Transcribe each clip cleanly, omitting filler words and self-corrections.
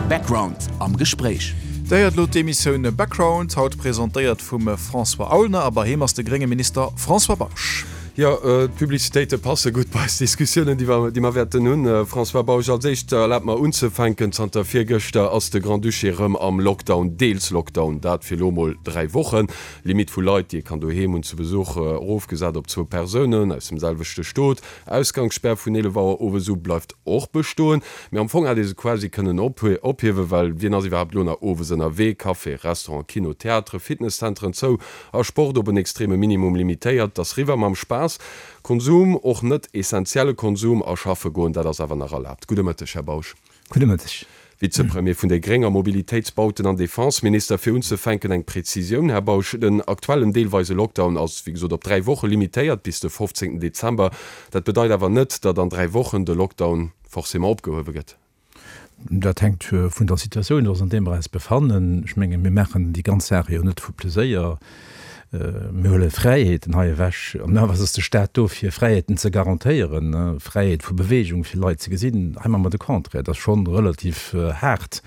Background am Gespréich. Dir héiert elo d'Emissioun Background, haut presentéiert vum François Aulner a bei him ass de grénge Minister François Bausch. Jo, d'Publicitéite passe gutt bei eis Diskussiounen, déi mer, déi mer wäerten hunn. François Bausch, als éischt erlaabt mer unzefänken, Zanter virgëschter ass de Grand-Duché erëm am Lockdown, deels Lockdown, dat fir elo mol 3 Wochen. Limitt vu Leit, déi ee kann doheem hunn zu Besuch, erofgesat op zwou Persounen aus dem selwechte Stot. Ausgangsspär vun 11 Auer owes u bleift och bestoen. Mee am Fong hätt ee se quasi kënnen ophiewen, well wien ass iwwerhaapt elo nach owes ënnerwee? Café, Restaurant, Kino, Theatere, Fitnesszenteren zou a Sport op en extreme Minimum limitéiert. Et ass riwwer mam Spaass. Konsum, och net essentielle Konsum, a schaffe goen, dat ass awer nach erlaabt. Gudde Mëtteg, Här Bausch. Gudde Mëtteg. Vizepremier vun déi Gréng a Mobilitéits-, Bauten an Defenseminister. Fir unzefänken eng Prezisioun, Här Bausch, Den aktuellen deelweise Lockdown ass, wéi gesot, op 3 Woche limitéiert, bis de 15 Dezember. Dat bedeit awer net, datt an 3 Wochen de Lockdown forcément opgehuewe gëtt. Dat hänkt vun der Situatioun of, an där mer eis befannen. Ech menge mir maachen déi ganz Saach jo net vu Pleséier. Mir huele Fräiheeten hei ewech. An awer ass de Staat do, fir Fräiheeten ze garantéieren, Fräiheet vu Beweegung, fir Leit ze gesinn. Hei maache mer de Contraire. Dat ass scho relativ haart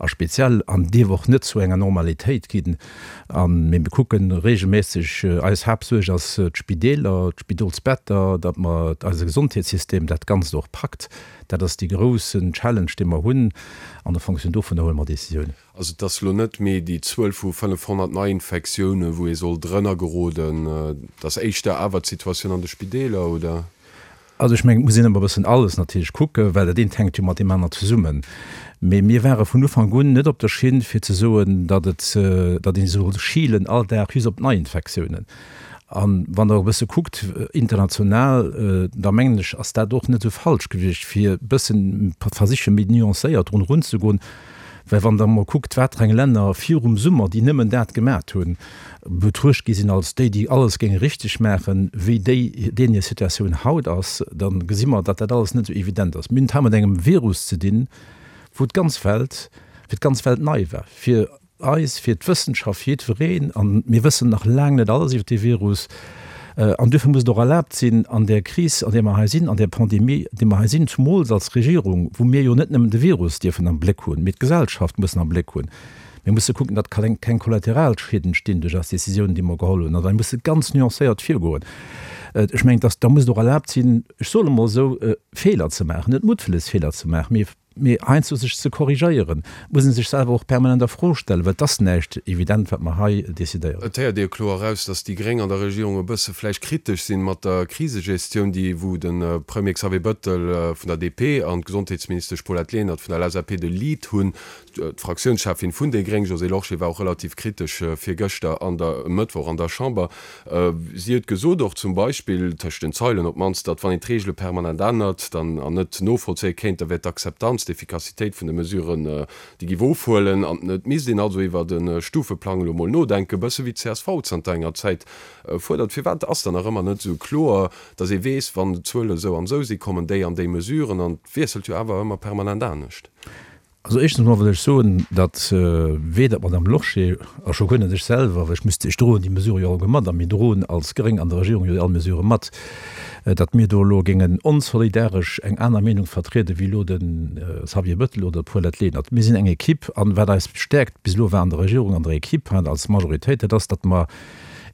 a speziell an dierf och net zu enger Normalitéit ginn. A mir kucke reegelméisseg, eis Haaptsuerg ass d'Spideeler, d'Spidolsbetter, datt mer eise Gesondheetssystem dat Ganzt och packt. Dat ass dee groussen Challenge, dee mer hunn. An en fonction dovunner huele mer Décisiounen. Also et ass elo net méi déi Zuel vu 500 Neiinfektiounen, wou ee soll drënner geroden. Et ass éischter awer d'Situatioun an de Spideeler, oder? Also ech mengen, et muss een ëmmer e bëssen alles natierlech kucken, well dat eent hänkt jo mat deem anert zesummen. Mee mir ware vun Ufank un net op der Schinn, fir ze soen, datt et, datt ee soll schilen all Dag just op d'Neiinfektiounen. A wann Der e bësse kuckt international, da mengen ech, ass dat och net esou falsch gewiescht, fir e bëssen versiche méi nuancéiert drun erunzegoen. Well wann Der emol kuckt, wat fir eng Länner virum Summer, déi nëmmen dat gemat hunn, betruecht gi sinn als déi, déi alles géinge richteg maachen, wéi déi, deenen hir Situatioun haut ass, da gesi mer, datt dat alles net esou evident ass. Mir hunn et hei mat engem Virus ze dinn, wou d'ganz Welt, fir d'ganz Welt nei war, fir eis, fir d'Wëssenschaft, fir jiddwereen. A mir wëssen nach laang net alles iwwer dee Virus. An duerfir muss et och erlaabt sinn, an där Kris, an där mer hei sinn, an där Pandemie, an där mer hei sinn, zumools als Regierung, wou mir jo net nëmmen de Virus dierfen am Bléck hunn, mee d'Gesellschaft mussen am Bléck hunn. Mir musse kucken, datt keng Kollateralschied entstinn duerch eis Décisiounen, déi mer geholl hunn. An da musse ganz nuancéiert virgoen. Ech mengen, dass, da muss et och erlaabt sinn, ech soen emol esou, Feeler ze maachen, net muttwëlles Feeler ze maachen, mee Mee heiansdo sech ze korrigéieren, muss ee sech selwer och permanent a Fro stellen, well et ass näischt evident, wat mer hei decidéieren. Et héiert ee jo kloer eraus, datt déi Gréng an der Regierung e bësse vläicht kritesch sinn mat der Krisegestioun, déi wou de Premier Xavier Bëttel vun der DP an d'Gesondheetsministesch Paulette Lenert vun der LSAP de Lead hunn. D'Fraktiounscheffin vun déi Gréng, Josée Lorsché, war och relativ kritesch virgëschter an der, e Mëttwoch an der Chamber. Si huet gesot och zum Beispill, tëscht den Zeilen op d'mannst, datt wann een d'Reegele permanent ännert dann an net novollzéie kéint, da wär d'Akzeptanz, d'Efficacitéit vun de Mesuren, déi géif ofhuelen. An et misst een also iwwert e Stufeplang elo mol nodenken, e bësse wéi d'CSV zanter enger Zäit fuerdert. Firwat ass dann nach ëmmer net esou kloer, datt ee weess, wann d'Zuele esou an esou si kommen déi an déi Mesuren? An et wiesselt jo awer ëmmer permanent anescht. Also éischtens emol wëll ech soen, datt weder d'Madame Lorsché a scho guer net ech selwer, well ech müsst, ech droen déi Mesurë jo alleguer mat a mir droen als Gréng an der Regierung jo all Mesurë mat, datt mir do elo géingen onsolidaresch eng aner Meenung vertriede wéi elo de Xavier Bettel oder d'Paulette Lenert. Mir sinn eng Equipe an wat eis stäerkt bis elo war an der Regierung, an der Equipe an als Majoritéit, dat ass, datt mer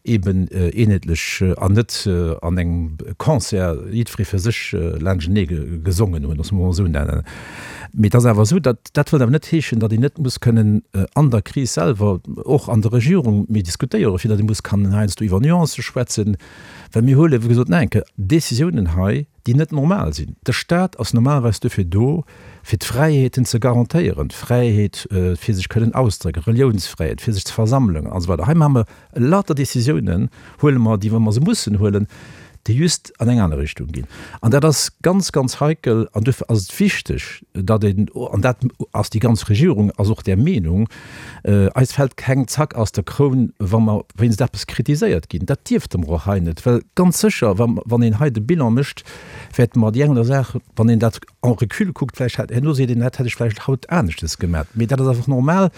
eben eenheetlech an net an engem Concert jiddweree fir sech laanschtenee gesongen hunn, loosse mer emol esou nennen. Mee et ass awer esou, datt, dat wëllt awer net heeschen, datt een net muss kënnen an der Kris selwer, och an der Regierung, méi diskutéieren, fir datt ee muss kann heiansdo iwwer Nuancë schwätzen, well mir huele wéi gesot nach eng Kéier Décisiounen hei, déi net normal sinn. De Staat ass normalerweis dofir do, fir d'Fräiheeten ze garantéieren, d'Fräiheet fir sech kënnen auszedrécken, Reliounsfräiheet, fir sech ze versammelen an esou weider. Hei maache mer lauter Décisiounen, huele mer déi, wa mer se mussen huelen, déi just an eng aner Richtung ginn. An dat ass ganz, ganz heikel. An duerfir ass et wichteg, datt een, an dat ass déi ganz Regierung ass och där Meenung, eis fält keng Zack aus der Kroun, wa mer wéinst eppes kritiséiert ginn. Dat dierfte mer och hei net, well ganz sécher, wann een hei de Bilan mécht, wäerte mer déi eng oder Saach, wann een dat en recul kuckt, vläicht hätt, herno seet een, dat hätt ech vläicht haut aneschtes gemat. Mee dat ass einfach normal.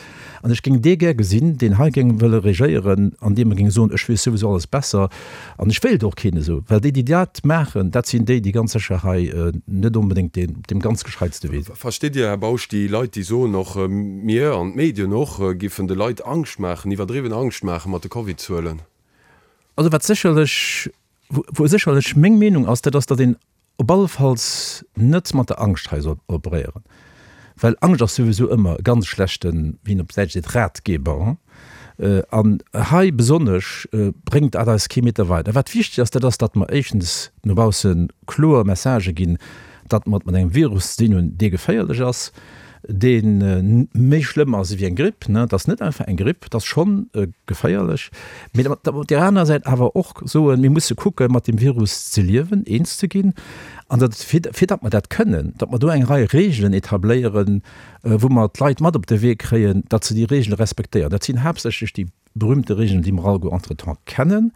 An ech géing dee gär gesinn, deen hei géing wëlle regéieren, an deem e géing soen, ech weess souwisou alles besser an ech wéilt och keen esou. Well. Well déi, déi dat maachen, dat sinn déi, déi ganz sécher hei net onbedéngt deen, op deem ganz gescheitste Wee sinn. Versteet Dir, Här Bausch, déi Leit, déi soen, och mir an d'Medien och, giffen de Leit Angscht maachen, iwwerdriwwen Angscht maachen mat de Covid-Zuelen? Also wat sécherlech, wou sécherlech meng Meenung ass, dat ass, datt een op allefalls net mat der Angscht hei soll operéieren, well Angscht ass souwisou ëmmer e ganz schlechten, wéi een op Däitsch seet, Ratgeber. An hei besonnesch bréngt dat eis kee Meter weider. Wat wichteg ass, dat ass, datt mer éischtens no bausse kloer Messagë ginn, datt mer et mat engem Virus ze dinn hunn, dee geféierlech ass, dee méi schlëmm ass ewéi eng Gripp. Et ass net einfach eng Gripp, et ass schonn geféierlech. Mee datt mer op där anerer Säit awer och soen, mir musse kucke mat deem Virus ze liewen, eens ze ginn an datt, fir datt mer dat kënnen, datt mer do eng Rei Reegelen etabléieren, wou mer d'Leit mat op de Wee kréien, datt se déi Reegele respektéieren. Dat sinn haaptsächlech déi berühmte Regeln, déi mer alleguer entretemps kennen,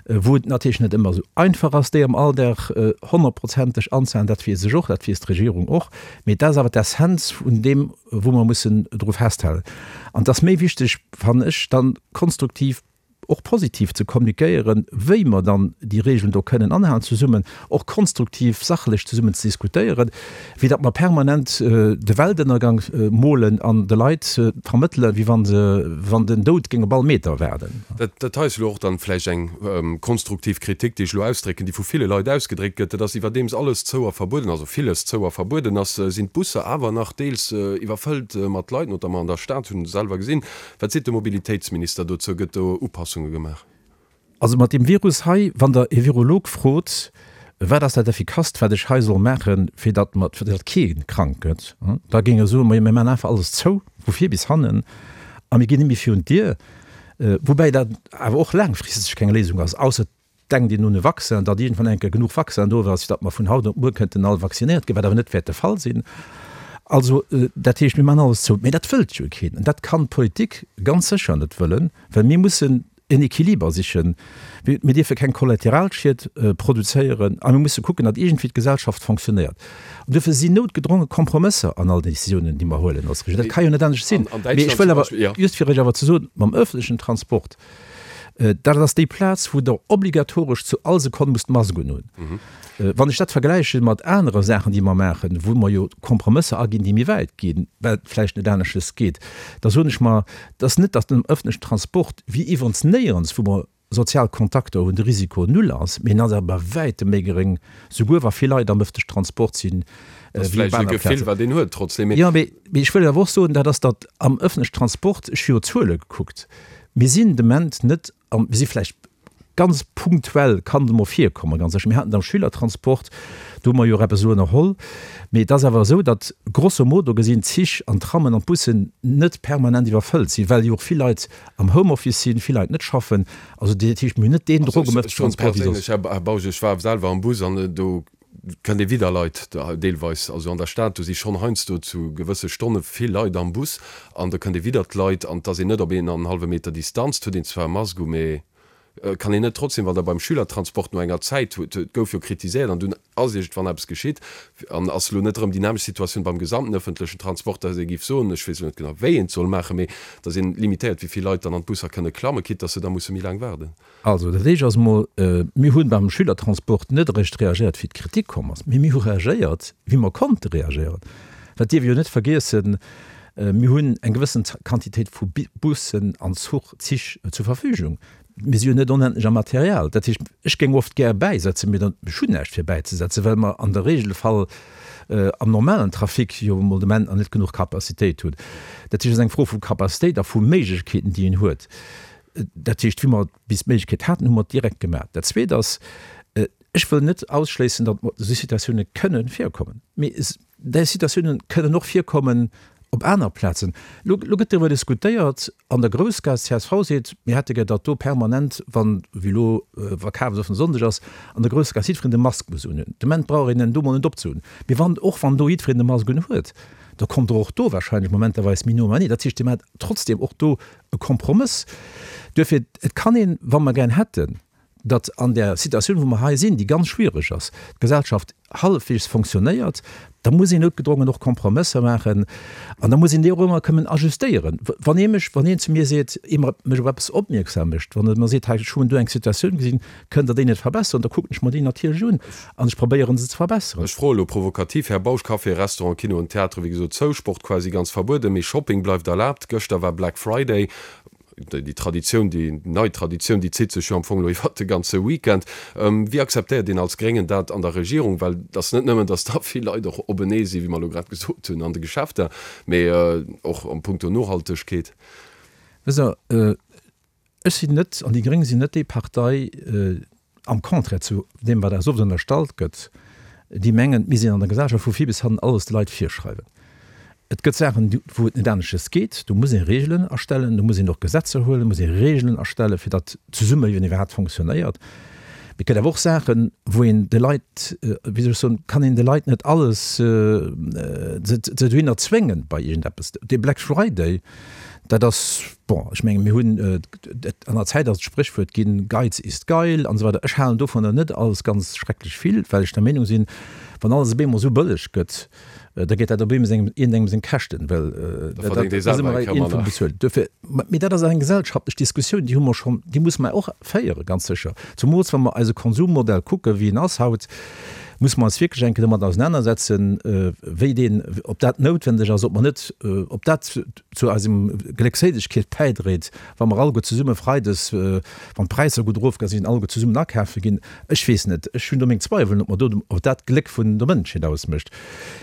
wou et natierlech net ëmmer esou einfach ass, déi am Alldag honnertprozenteg anzehalen, dat weess ech och, dat weess d'Regierung och, mee dat ass awer d'Essenz vun deem, wou mer mussen dru festhalen. An et ass méi wichteg, fannen ech, dann konstruktiv och positiv ze kommunikéieren, wéi mer dann déi Regeln do kënnen anhalen zesummen, och konstruktiv, sachlech zesummen ze diskutéieren, wéi datt mer permanent de Weltënnergang molen an de Leit vermëttelen, wéi wa se, wann den Doud géing op all Meter waarden. Dat hei ass elo och dann vläicht eng konstruktiv Kritik, déi ech elo ausdrécken, déi vu ville Leit ausgedréckt gëtt, dat ass, iwwerdeems alles zou a verbueden, also villes zou a verbueden ass, sinn d'Busser awer nach deels iwwerfëllt mat Leit, notamment an der Stad, hunn selwer gesinn. Wat seet de Mobilitéitsminister dozou? Gëtt do Upassunge gemaach? Also mat deem Virus hei, wann Der e Virolog frot, wat ass dat Effikasst, wat ech hei soll maachen, fir datt mer, fir datt kee krank gëtt, da géing e soen, majo mir maachen einfach alles zou, vu vir bis hannen, a mir ginn net méi virun d'Dier. Woubäi dat awer och laangfristeg keng Léisung ass, ausser Denkt een un e Vaccin, datt iergendwann eng Kéier genuch Vaccin do ass, fir datt mer vun haut op muer kënnten all vaccinéiert ginn, wat awer net wäert de Fall sinn. Also, dat heescht, mir maachen alles zou. Mee dat wëllt jo keen. An dat kann d'Politik ganz sécher net wëllen, well mir mussen en Equiliber sichen. Mir dierfe keng Kollateralschied produzéieren a mir musse kucken, datt iergendwéi d'Gesellschaft fonctionnéiert. An duerfir sinn noutgedronge Kompromësser an all Décisiounen, déi mer huelen als Regierung. Dat ka jo net anescht sinn. Mee ech wëll awer, just fir Iech awer ze soen, mam öffentlechen Transport, Dat ass déi Plaz, wou Der obligatoresch zu all Sekonn musst d'Mask unhunn. Wann ech dat vergläiche mat anere Saachen, déi mer maachen, wou mer jo Kompromësser aginn, déi méi wäit ginn, well et vläicht net aneschtes geet, da soen ech mer, et ass net, datt am ëffentlechen Transport, wéi iwwerens néierens, wou mer sozial Kontakter hunn, de Risiko null ass, mee en ass awer bei wäitem méi geréng, souguer wa vill Leit am ëffentlechen Transport sinn, wéi op aner Plazen. Jo, mee ech wëll awer och soen, dat ass, datt am ëffentlechen Transport, ech hu jo Zuele gekuckt, Mir sinn de Moment net am, mir si vläicht ganz punktuell, kann et emol virkommen, ganz sécher. Mir haten et am Schülertransport, do hu mer jo och eppes elo ënnerholl. Mee et ass awer esou, datt grosso modo gesinn d'Zich an d'Trammen an d'Bussen net permanent iwwerfëllt sinn, well jo och vill Leit am Homeoffice sinn, vill Leit net schaffen. Also dat heescht, mir hunn net deen Drock um ëffentlechen Transport wéi soss. Ech soen perséinlech, Här Bausch, ech war selwer am Bus an do Kënnt ee widder Leit, deelweis, also an der Stad, do si schonn heiansdo zu gewësse Stonne vill Leit am Bus an da kënnt ee widder d'Leit an et ass een net op een an en hallwe Meter Distanz, et huet een zwar e Mask u, mee kann een net trotzdem, wann der beim Schülertransport no enger Zäit, et gouf jo kritiséiert an dunn ass iergendwann eppes geschitt an ass elo net erëm déi nämmlecht Situatioun beim gesamten ëffentlechen Transport, datt ee géif soen, ech weess elo net genau wéi een et soll maachen, mee datt een limitéiert wéi vill Leit dann an d'Busser kënne klammen, quitte datt se da musse méi laang waarden. Also, dat éischt ass emol, Mir hu beim Schülertransport net eréischt reagéiert, wéi d'Kritik komm ass, mee mir hu reagéiert, wéi mer konnte reagéieren. Dat dierf ee jo net vergiessen. Mir hunn eng gewëssen Quantitéit vu Bussen an Zuch, Zich zur Verfügung. Mir si jo net onendlech am Material. Dat heescht, ech géing oft gär bäisetzen, mee dann, ech hunn näischt fir bäizesetzen, well mer an der Regelfall am normalen Trafic jo emol de Moment nach net genuch Capacitéit hunn. Dat heescht, et ass eng Fro vu Capacitéit a vu Méiglechkeeten, déi een huet. Dat heescht, wéi mer bis d'Méiglechkeet haten, hu mer et direkt gemaach. Dat Zweet ass, ech wëll net ausschléissen, datt esou Situatioune kënnen virkommen. Mee déi Situatioune kënnen och virkommen op aner Plazen. Elo gëtt driwwer diskutéiert an der Groussgaass, csv seet, mir hätte gär, datt do permanent, wann, wéi elo Verkafsoffene Sonndeg ass, an der Groussgaass jiddwereen de Mask muss unhunn. De Moment brauch een en do mol net opzehunn. Mee wann, och wann do jiddwereen de Mask unhuet, da kommt der och do wahrscheinlech momenterweis méi no matenee. Dat heescht, Dir maacht trotzdem och do e Kompromëss. Duerfir, et kann een, wa mer gär hätten, datt an där Situatioun, wou mer hei sinn, déi ganz schwiereg ass, d'Gesellschaft hallefweegs fonctionnéiert, da muss een noutgedrongen och Kompromësser maachen an da muss een déi och ëmmer kënnen ajustéieren. Wann ee mech, wann een zu mir seet, ee mer mech op eppes opmierksam mécht, wann e mer seet, hei ech hunn do eng Situatioun gesinn, kënnt Der déi net verbesseren, da kucken ech mer déi natierlech un an ech probéieren se ze verbesseren. Ech froe elo provokativ, Här Bausch, Café, Restaurant, Kino an Theatere wéi gesot zou, Sport quasi ganz verbueden, mee Shopping bleift erlaabt. Gëschter war Black Friday. Déi Traditioun, déi nei Traditioun, déi zitt sech jo am Fong elo iwwert de ganze Weekend. Wéi akzeptéiert een als Gréngen dat an der Regierung? Well et ass net nëmmen, datt da vill Leit och openee sinn, wéi mer elo grad gesot hunn, an de Geschäfter, mee och am Punkto Nohaltegkeet. Wësst Der, ech sinn net, an déi Gréng sinn net déi Partei, am Contraire zu deem, wat eis oft ënnerstallt gëtt, déi mengen, mir sinn an der Gesellschaft vu vir bis hannen alles de Leit virschreiwen. Et gëtt Saachen, wou et net aneschters geet, do muss ee Regeln erstellen, do muss een och Gesetzer huelen, muss ee Regeln erstellen, fir datt d'Zesummeliewen iwwerhaapt fonctionnéiert. Mee et gëtt awer och Saachen, wou een de Leit, wéi soll ech soen, kann een de Leit net alles se dohinner zwéngen bei iergendeppes. Dee Black Friday, Dat ass, bon, ech menge mir hunn, an der Zäit ass et d'Spréchwuert ginn, Geiz ist geil an esou weider. Ech halen dovunner net alles ganz schrecklech vill, well ech der Meenung sinn, wann alles op eemol esou bëlleg gëtt, da geet dat op eemol sengem, iergendengem seng Käschten, well Da verdéngt ee selwer eng Kéier manner. Bezuelt. Duerfir, mee dat ass eng gesellschaftlech Diskussioun, déi hu mer schonn, déi musse mer och féieren, ganz sécher. Zumools wa mer eise Konsummodell kucken, wéi en ass haut, musse mer eis wierklech eng Kéier domat ausenanersetzen, wéi deen, ob dat noutwendeg ass, ob mer net, ob dat zu eisem Gléckséilegkeet bäidréit, wa mer alleguer zesumme freides, wann d'Präisser gutt erofgaang sinn, alleguer zesummen akafe ginn. Ech weess net, ech hunn do meng Zweiwelen, ob mer do, ob dat d'Gléck vun der Mënschheet ausmécht.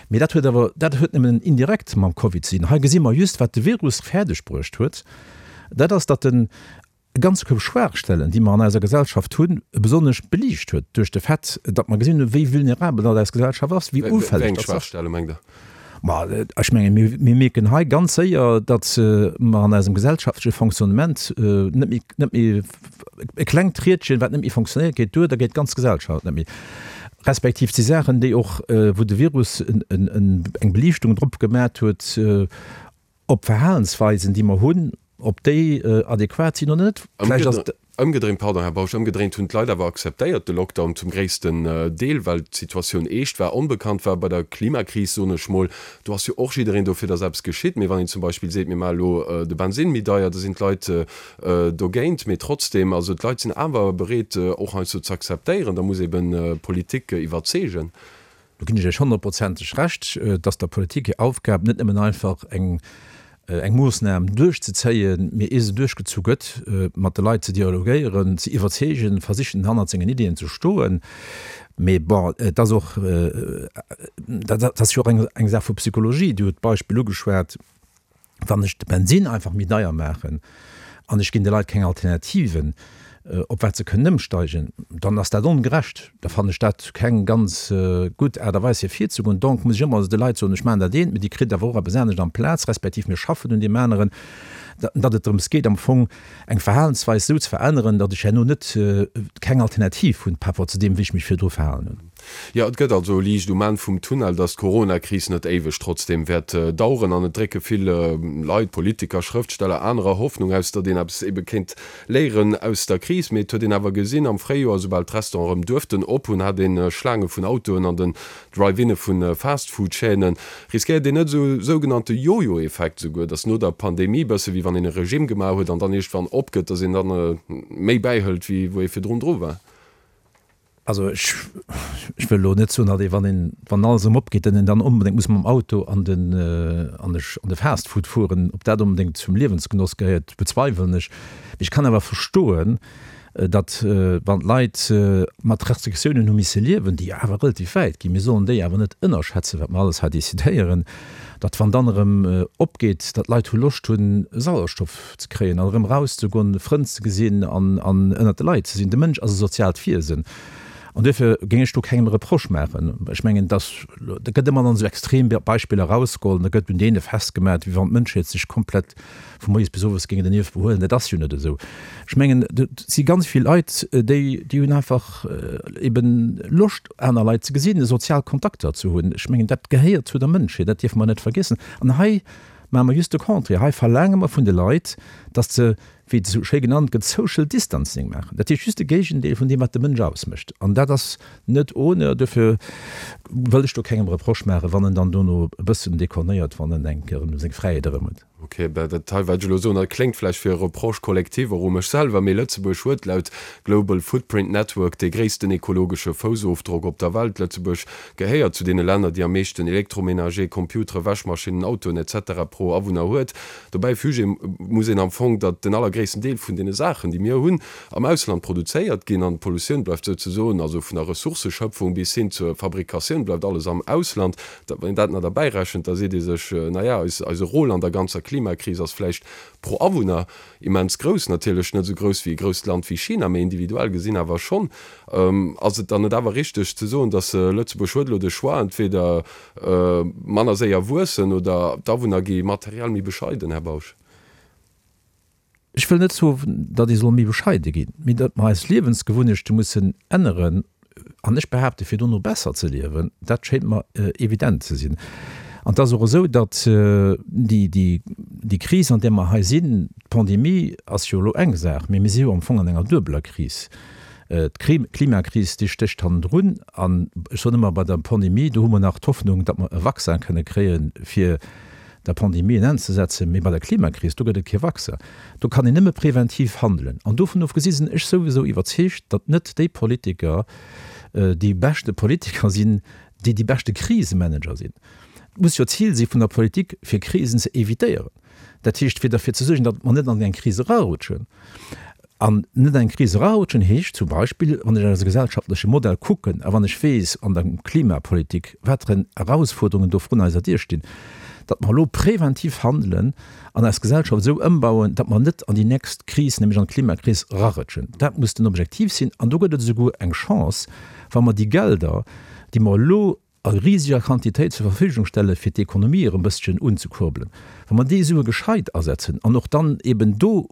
Mee dat huet awer, dat huet nëmmen indirekt mam Covid ze dinn. Hei gesi mer just, wat de Virus fäerdeg bruecht huet, dat ass, datt en e ganze Koup Schwaachstellen, déi mer an eiser Gesellschaft hunn, besonnesch beliicht huet duerch de Fait, datt mer gesinn hunn, wéi vulnerabel datt eis Gesellschaft ass, wéi ufälleg Wéi eng datt se ass. Schwaachstelle mengt Der? Ma ech mengen, mir, mir mierken hei ganz séier, datt mer an eisem gesellschaftleche Fonctionnement net méi, net méi, e klengt Riedchen, wat net méi fonctionnéiert, geet duer, da geet d'ganz Gesellschaft net méi. Respektiv et si Saachen, déi och, wou de Virus eng Beliichtung drop gemat huet, Op Verhalensweisen, déi mer hunn, ob déi adequat sinn oder net. Vläicht ass et. Ëmgedréint, pardon, Här Bausch, ëmgedréint hunn d'Leit awer akzeptéiert de Lockdown zum gréissten Deel, well d'Situatioun eescht war, onbekannt war. Bei der Klimakris, soen ech mol, do ass jo och jiddereen dofir, datt eppes geschitt. Mee wann een zum Beispill seet, mir maache elo de Bensinn méi deier, da sinn d'Leit dogéint. Mee trotzdem, also d'Leit sinn awer bereet, och heiansdo ze akzeptéieren. Da muss eben d'Politik iwwerzeegen. Do ginn ech Iech honnertprozenteg Recht, dass der Politik hir Aufgab net nëmmen einfach eng eng Moossnam duerchzezéien, mee ier se duerchgezu gëtt, mat de Leit ze dialogéieren, ze iwwerzeegen, versichen hannert sengen Iddien ze stoen. Mee bon, et ass och, dat ass jo och eng Saach vu Psychologie. Dir hutt d'Beispill ugeschwat. Wann ech de Bensinn einfach méi deier maachen an ech ginn de Leit keng Alternativen, op wat se kënnen ëmsteigen, dann ass dat ongerecht. Da fannen ech dat keng ganz gutt Aart a Weis fir virzegoen. Donc muss ech ëmmer de Leit soen, ech maachen dat eent, mee Dir kritt awer och eppes anescht amplaz, respektiv mir schaffen un deem aneren, datt et drëms geet am Fong eng Verhalensweis esou ze veränneren, datt ech herno net keng Alternativ hunn par rapport zu deem, wéi ech mech virdru verhalen hunn. Jo, et gëtt also Liicht um Enn vum Tunnel, datt d'Corona-Kris net éiweg trotzdeem wäert daueren. An et drécke vill Leit, Politiker, Schrëftsteller, anerer Hoffnung aus, datt een eppes ebe kéint léieren aus der Kris. Mee et huet een awer gesinn, am Fréijoer, esoubal d'Restauranten erëm duerften op hunn, hat ee Schlaange vun Autoen an den Drive-Inne vu Fast-Food-Chaînen. Riskéiert een net esou e sougenannte Jojo-Effekt esouguer, datt no der Pandemie, bësse wéi wann een e Regime gemaach huet an dann iergendwann opgëtt, datt een dann méi bäihëlt, wéi wou ee virdrun dru war? Also ech, ech wëll elo net soen, datt ee wann een, wann alles erëm opgeet, datt een dann onbedéngt muss mam Auto an den, an de, an de Fast-Food fueren. Ob dat onbedéngt zum Liewensgenoss gehéiert, bezweiwelen ech. Mee ech kann awer verstoen, datt wann d'Leit mat Restriktiounen hu misse liewen, déi awer relativ wäit ginn, mir sollen déi awer net ënnerschätzen, wat mer alles hei decidéieren, datt wann dann erëm opgeet, datt d'Leit hu Loscht hunn Sauerstoff ze kréien an erëm erauszegoen, Frënn ze gesinn an ënnert de Leit ze sinn. De Mënsch ass e soziaalt Wiesen an duerfir géing ech do kengem e Reproche maachen. Ech mengen, dass, da gëtt ëmmer dann esou extrem Beispiller erausgeholl an da gëtt un deene festgemaach, wéi wann d'Mënschheet sech komplett vu moies bis owes géing dernieft behuelen. Dat ass jo net esou. Ech mengen, et si ganz vill Leit, déi, déi hunn einfach eben Loscht, aner Leit ze gesinn, sozial Kontakter ze hunn. Ech mengen, dat gehéiert zu der Mënschheet, dat dierfe mer net vergiessen. An hei. maache mer just de Contraire. Hei verlaange mer vun de Leit, datt se, wéi et esou schéi genannt gëtt, Social Distancing maachen. Dat heescht just de Géigendeel vun deem, wat de Mënsch ausmécht. An dat ass net ohne. Duerfir wëll ech do kengem Reproche maachen, wann en dann dono e bëssen dekornéiert, wann en eng Kéier erëm seng Fräiheet erëm huet. Ok, ben dat hei wat ech elo soen, dat kléngt vläicht fir e Reproche collectif och u mech selwer, mee Lëtzebuerg huet laut Global Footprint Network dee gréissten ekologesche Foussofdrock op der Welt. Lëtzebuerg gehéiert zu deene Länner, déi am meeschten Elektroménager, Computeren, Wäschmaschinnen, Autoen etc. Pro Awunner huet. Dobäi füge muss een am Fong, datt den allergréissten Deel vun deene Saachen, déi mir hunn, am Ausland produzéiert ginn an d'Pollutioun bleift souzesoen, also vun der Ressourcëschöpfung bis hin zur Fabrikatioun, bleift alles am Ausland. Wann een dat nach derbäi rechent, da seet ee sech, na ja, eis, eise Rôle an der ganzer Klimakris ass vläicht pro Awunner immens grouss, natierlech net esou grouss wéi e grousst Land wéi China, mä individuell gesinn awer schonn. Ass et dann net awer richteg ze soen, datt Lëtzebuerg huet elo de Choix, entweder manner séier wuessen oder d'Awunner gi materiell méi bescheiden, Här Bausch? Ech wëll net soen, datt ee soll méi bescheide ginn, mee datt mer eis Liewensgewunnechte mussen änneren, an ech behaapte fir dono besser ze liewen, dat schéint mer evident ze sinn. An et ass och esou, datt déi Kris, an där mer hei sinn, d'Pandemie ass jo elo eng Saach, mee mir si jo am Fong an enger duebeler Kris. D'Klimakris, déi stécht hannendrun. An ech soen ëmmer, bei der Pandemie, do hu mer nach d'Hoffnung, datt mer e Vaccin kënne kréien, fir der Pandemie en Enn ze setzen, mee bei der Klimakris, do gëtt et kee Vaccin. Do kann een nëmme preventiv handelen. An dovun ofgesi sinn ech souwisou iwwerzeegt, datt net déi Politiker déi beschte Politiker sinn, déi déi beschte Krisemanager sinn. Et muss jo d'Zil si vun der Politik, fir Krisen ze evitéieren. Dat heescht, fir derfir ze suergen, datt mer net an eng Kris erarutschen. An net an eng Kris erarutschen heescht zum Beispill, wann ech eise gesellschaftleche Modell kucken a wann ech weess an der Klimapolitik, wat fir Erausfuerderungen do vrun eiser Dier stinn, datt mer elo preventiv handelen an eis Gesellschaft esou ëmbauen, datt mer net an déi nächst Kris, nämlech an d'Klimakris, erarutschen. Dat muss den Objektiv sinn. An do gëtt et esouguer eng Chance, wa mer déi Gelder, déi mer elo a riseger Quantitéit zur Verfügung stelle fir d'Ekonomie erëm e bësschen unzekurbelen, wa mer déi Sue gescheit asetzen an och dann eben do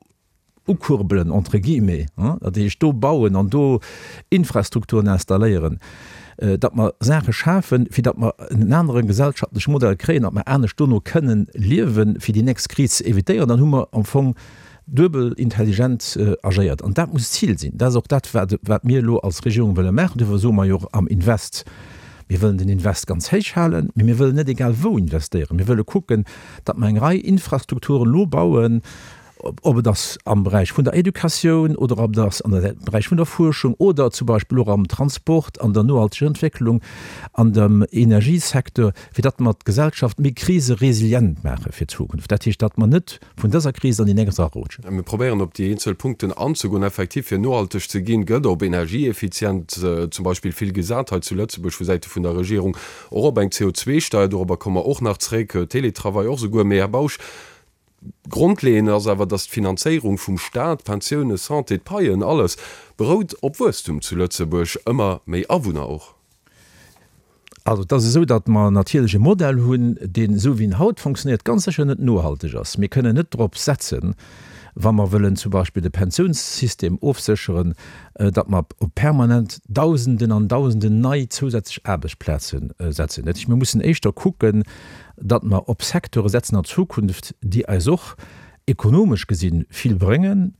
ukurbelen, entre guillemets, dat heescht do bauen an do Infrastrukturen installéieren, datt mer Saache schafen, fir datt mer en anere gesellschaftleche Modell kréien, datt mer anescht dono kënnen liewen, fir déi nächst Kris ze évitéieren, dann hu mer am Fong duebel intelligent agéiert. An dat muss d'Zil sinn. Dat ass och dat, wat, wat mir elo als Regierung wëlle maachen. Duerfir soe mer jo och am Invest, mir wëllen den Invest ganz héich halen, mee mir wëllen net egal wou investéieren. Mir wëlle kucken, datt mer eng Rei Infrastrukturen elo bauen, ob et ass am Beräich vun der Educatioun oder ob et ass an der Beräich vun der Fuerschung oder zum Beispill och am Transport, an der nohalteger Entwécklung, an dem Energiesecteur, fir datt mer d'Gesellschaft méi kriseresilient maache fir d'Zukunft. Dat heescht, datt mer net vun dëser Kris an déi nächst erarutschen. Mir probéieren op déi eenzel Punkten anzegoen. Effektiv, fir nohalteg ze ginn, gëtt op Energieeffizienz zum Beispill vill gesat hei zu Lëtzebuerg vu Säite vun der Regierung, och op eng CO2-Steier, dorobber komme mer och nach zréck, Teletravail och souguer. Mee, Här Bausch, grondleeënd ass awer, datt d'Finanzéierung vum Staat, d'Pensiounen, Santé, d'Paien, alles berout op Wuesstum zu Lëtzebuerg, ëmmer méi Awunner och. Also et ass esou, datt mer natierlech e Modell hunn, deen, esou wéi en haut fonctionnéiert, ganz sécher net nohalteg ass. Mir kënnen net drop setzen, wa mer wëllen zum Beispill de Pensiounssystem ofsécheren, datt mer op permanent Dausenden an Dausenden nei zousätzlech Aarbechtsplaze setzen. Dat heescht, mir mussen éischter kucken, datt mer op Secteure setzen an Zukunft, déi eis och ekonomesch gesinn vill bréngen,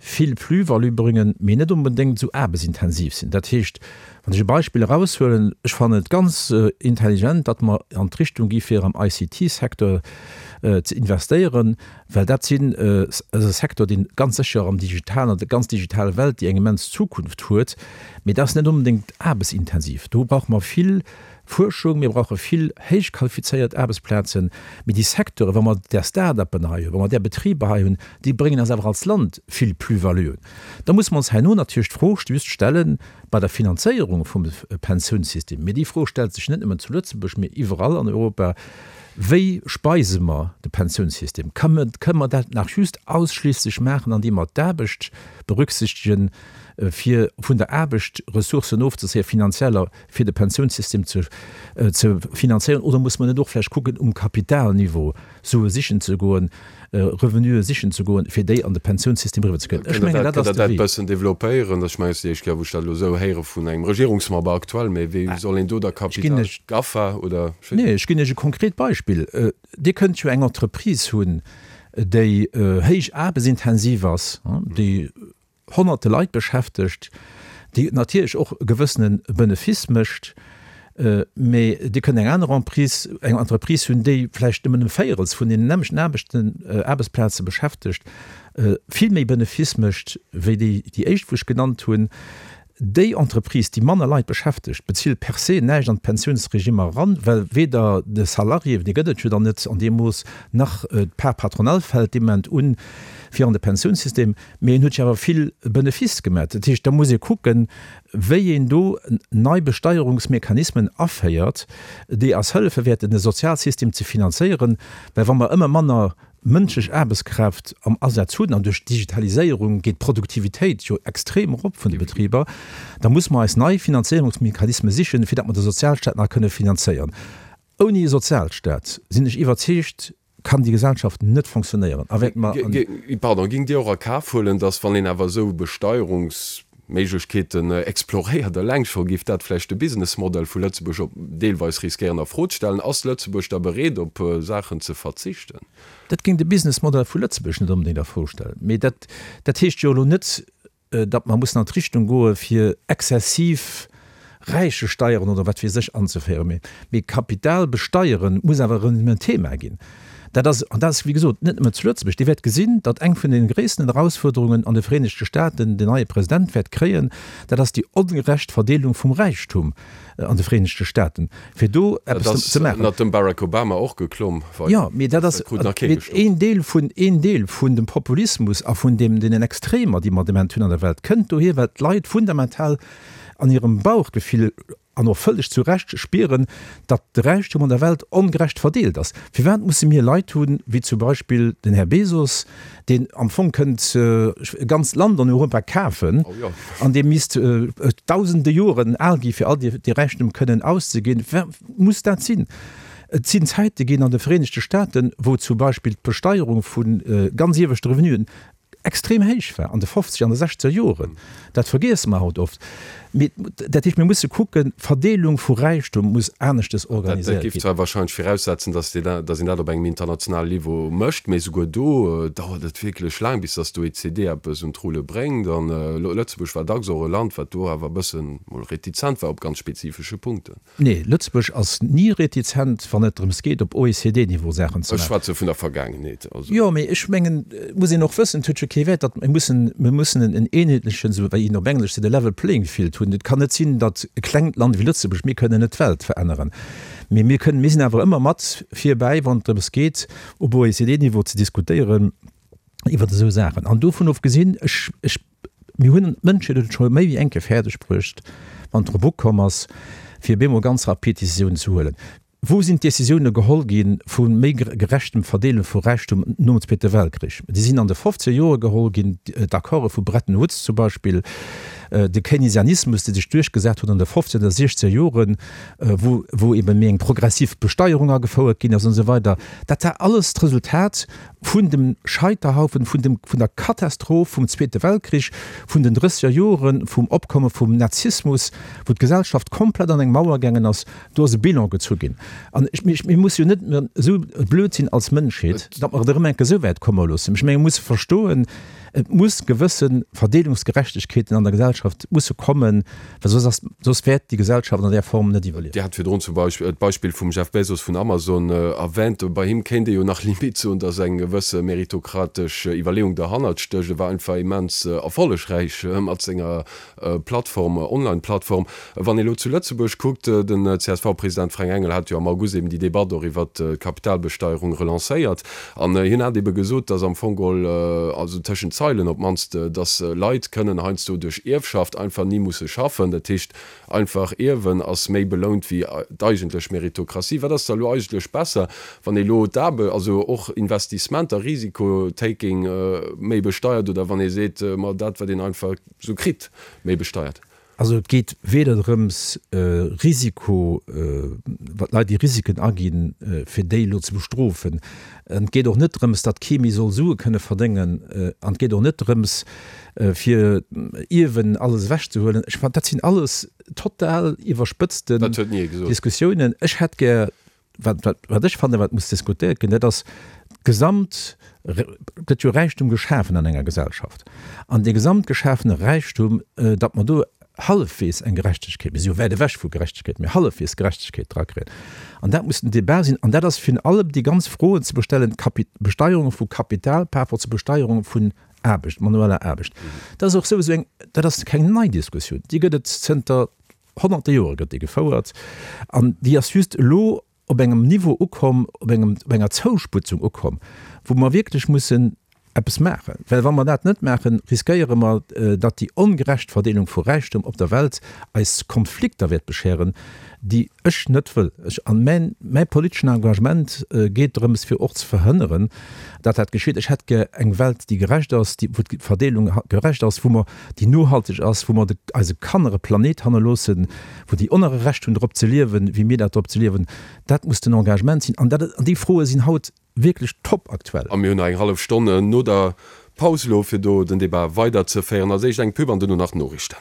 vill Plus-value bréngen, mee net onbedéngt esou aarbechtsintensiv sinn. Dat heescht, wann ech e Beispill eraushuelen, ech fannen et ganz intelligent, datt mer an d'Richtung gi fir am ICT-Secteur ze investéieren, well dat sinn, ass e Secteur, dee ganz sécher am digitalen, an der ganz digitaler Welt, déi eng immens Zukunft huet, mee dat ass net onbedéngt aarbechtsintensiv. Do brauche mer vill Fuerschung, mir brauche vill héich qualifizéiert Aarbechtsplazen, mee déi Secteuren, wa mer där Start-uppen hei hunn, wa mer där Betriber hei hunn, déi bréngen eis awer als Land vill Plus-valuen. Da musse mer ons herno natierlech d'Fro just stellen bei der Finanzéierung vum Pensiounssystem, mee déi Fro stellt sech net nëmmen zu Lëtzebuerg, mee iwwerall an Europa, Wéi speise mer de Pensiounssystem? Kënne mer dat nach just ausschliisslech maachen, andeem mer d'Aarbecht berücksichtegen? fir vun der Aarbecht Ressourcen ofzezéien, finanzieller, fir de Pensiounssystem ze ze finanzéieren? Oder muss mer net och vläicht kucken, um Kapitalniveau Sue sichen ze goen, Revenue sichen ze goen, fir déi an de Pensiounssystem eriwwer ze kréien? Ech mengen, dat ass de Wee. Kënnt Der dat e bëssen développéieren? Ech mengen, et ass déi éischt Kéier, wou ech dat elo esou héiere vun engem Regierungsmember aktuell. Mä wéi soll een do da Kapital, GAFA oder? Nee, ech ginn Iech e konkret Beispill. Dir kënnt jo eng Entreprise hunn, déi héich aarbechtsintensiv ass, déi honnerte Leit beschäftegt, déi natierlech och e gewëssene Benefice mécht, mee Dir kënnt eng aner Emprise, eng Entreprise hunn, déi vläicht nëmmen e Véierels vun deenen nämmlechten Aarbechten, Aarbechtsplaze beschäftegt, vill méi Benefice mécht wéi déi, déi éischt, wou ech genannt hunn. Déi Entreprise, déi manner Leit beschäftegt, bezilt per se näischt an d'Pensiounsregimmer eran, well weder de Salarié, dee gëtt et jo dann net an deem Mooss, nach d'Part patronale fält dee Moment un fir an de Pensiounssystem. Mee en huet jo awer vill Benefice gemat. Dat heescht, da muss ee kucken, wéi een do nei Besteierungsmechanismen aféiert, déi eis hëllefe wäerten, de Sozialsystem ze finanzéieren, well wa mer ëmmer manner mënschlech Aarbechtskraaft am Asaz hunn, an duerch d'Digitaliséierung geet d'Produktivitéit jo extrem erop vun de Betriber, da muss mer eis nei Finanzéierungsmechanisme sichen, fir datt mer de Sozialstaat nach kënne finanzéieren. Ouni e Sozialstaat, sinn ech iwwerzeegt, kann déi Gesellschaft net fonctionnéieren a wäerte mer an. Pardon, géingt Dir och a Kaf huelen, datt, wann een awer esou Besteierungs. Méiglechkeeten exploréiert. Eleng scho géif dat vläicht de Businessmodell vu Lëtzebuerg op deelweis riskéieren a Fro ze stellen. Ass Lëtzebuerg da bereet op Saachen ze verzichten? Dat géing de Businessmodell vu Lëtzebuerg net onbedéngt a Fro stellen. Mee dat, dat heescht jo elo net, datt mer mussen an d'Richtung goe fir exzessiv Räichesteieren oder wat weess ech anzeféieren. Mee, mee Kapital besteieren muss awer erëm en Thema ginn. Dat ass, an dat ass wéi gesot net nëmmen zu Lëtzebuerg, Dir wäert gesinn, datt eng vun de gréissten Erausfuerderungen an de Vereenegte Staaten den neie President wäert kréien, dat ass déi ongerecht Verdeelung vum Räichtum an de Vereenegte Staaten, fir do eppes ze maachen. Dat ass ënnert dem Barack Obama och geklomm. Jo, mee dat ass een Deel vun, een Deel vun dem Populismus a vun deem, deenen Extremer, déi mer de Moment hunn an der Welt, kënnt dohier, well d'Leit fundamental an hirem Bauchgefill an och vëlleg zu Recht spieren, datt de Räichtum an der Welt ongerecht verdeelt ass. Firwat musse mir Leit hunn, wéi zum Beispill den Här Bezos, deen am Fong kënnt e ganzt Land an Europa kafen an dee misst dausende Joren al gi fir all dee Räichtum kënnen auszeginn? Firwat muss dat sinn? Et sinn Zäite ginn an de Vereenegte Staaten, wou zum Beispill d'Besteierung vu ganz ieweschte Revenuen extrem héich war an de fofzeger an de sechzeger Joren. Dat vergiesse mer haut oft. Mee dat heescht, mir musse kucken, d'Verdeelung vu Räichtum muss aneschtes organiséiert ginn. Dat géif zwar wahrscheinlech viraussetzen, dass een dat op engem internationalen Niveau mécht, mee souguer do dauert et wierklech laang, bis dass d'OECD eppes un d'Rulle bréngt. An Lëtzebuerg war dacks och e Land, wat do awer e bëssen mol retizent war op ganz spezifesche Punkten. Nee, Lëtzebuerg ass ni retizent, wann et drëms geet, op OECD-Niveau Saachen ze maachen. Ech schwätze vun der Vergaangenheet. Also. Jo, mee ech mengen, et muss een och wëssen, et huet jo kee Wäert, datt mir mussen, mir mussen en eenheetlechen, esou wéi een op Englesch seet, e level playing field hunn. Et kann net sinn, datt e klengt Land wéi Lëtzebuerg, mir kënnen net d'Welt veränneren, mee mir kënnen, mir sinn awer ëmmer mat virbäi, wann et drëms geet, op OECD-Niveau ze diskutéieren iwwert esou Saachen. An dovun ofgesinn, ech, ech, mir hunn, d'Mënschheet huet et scho méi wéi eng Kéier fäerdeg bruecht, wann et drop ukomm ass, fir bemol ganz rapid Décisiounen ze huelen. Wou sinn d'Décisioune geholl gi vu méi gerechtem Verdeele vu Räichtum nom Zweete Weltkrich? Déi sinn an de fofzeger Jore geholl ginn, d'Accorde vu Bretton Woods zum Beispill, de Keynesianismus, dee sech duerchgesat huet an de fofzeger an de siechzeger Joren, wou wou ebe méi eng progressiv Besteierung agefouert ginn ass an esou weider. Dat war alles d'Resultat vun dem Scheiterhaufen, vun dem, vun der Katastroph vum Zweete Weltkrich, vun den drësseger Joren, vum Opkomme vum Nazismus, wou d'Gesellschaft komplett an eng Mauer gaangen ass, do ass e Bilan gezu ginn. An ech, mir, mir musse jo net esou blöd sinn als Mënschheet, datt mer et erëm eng Kéier esou wäit komme loossen. Ech menge mir musse verstoen, et muss gewësse Verdeelungsgerechtegkeeten an der Gesellschaft musse kommen, well soss ass, soss wäert déi Gesellschaft an där Form net iwwerliewen. Dir hat virdrun zum Beispill d'Beispill vum Jeff Bezos vun Amazon erwähnt. Bei him kéint ee jo nach limite soen, datt eng gewësse meritokratesch Iwwerleeung derhannert stécht. E war einfach immens erfollegräich mat senger Plattform, Online-Plattform. Wann ee lo zu Lëtzebuerg kuckt, den CSV-President Fränk Engel hat jo am August eben déi Debatt och iwwert d'Kapitalbesteierung relancéiert. An hien hat ebe gesot, datt am Fong geholl, also tëschent Zeilen op d'mannst, datt Leit kënnen heiansdo duerch Ierfschaften. Ierfschaft einfach ni musse schaffen. Dat heescht, einfach ierwen ass méi belount wéi d'eigentlech Meritokratie. Wat ass da elo eigentlech besser, wann ee lo d'Aarbe, also och Investissementer, Risiko-taking méi besteiert oder wann ee seet, ma dat wat een einfach esou kritt, méi besteiert? Also et geet weder drëms, Risiko, wat Leit déi Risiken aginn, fir déi elo ze bestrofen. An et geet och net drëms, datt kee méi soll Sue kënne verdéngen. An et geet och net drëms, fir Ierwen alles ewechzehuelen. Ech fannen, dat sinn alles total iwwerspëtzten Diskussiounen. Ech hätt gär Wat, wat, wat ech fannen, wat muss diskutéiert ginn, dat ass d'gesamt, et gëtt jo Räichtum geschafen an enger Gesellschaft, an dee gesamt geschafene Räichtum, datt mer do hallefwegs eng Gerechtegkeet, mir si jo wäit ewech vu Gerechtegkeet, mee hallefwegs Gerechtegkeet drakréien. An dat muss den Débat sinn. An dat ass virun allem déi ganz Froen ze bestellen, d'Kapi-, d'Besteierung vu Kapital par rapport zur Besteierung vun Aarbecht, manueller Aarbecht. Dat ass och souwisou eng, dat ass keng nei Diskussioun, déi gëtt et zënter Honnerte Jore gëtt déi gefouert an déi ass just elo op engem Niveau ukomm, op engem, op enger Zousputzung ukomm, wou mer wierklech mussen eppes maachen. Well wa mer dat net maachen, riskéiere mer, datt déi ongerecht Verdeelung vu Räichtum op der Welt eis Konflikter wäert bescheren, déi ech net wëll. Ech, an mäin, mäi politeschen Engagement geet drëms, fir och ze verhënneren, datt dat geschitt. Ech hätt gär eng Welt, déi gerecht ass, déi, wou d'Verdeelung gerecht ass, wou mer déi nohalteg ass, wou mer de eise Kanner e Planet hannerloossen, wou déi och nach e Recht hunn drop ze liewen, wéi mir dat drop ze liewen. Dat muss den Engagement sinn. An dat, an déi Froe sinn haut wierklech top aktuell. A mir hunn nach eng hallef Stonn no der Paus elo, fir do den Debat weiderzeféieren. Als éischt eng Pub an duerno nach d'Noriichten.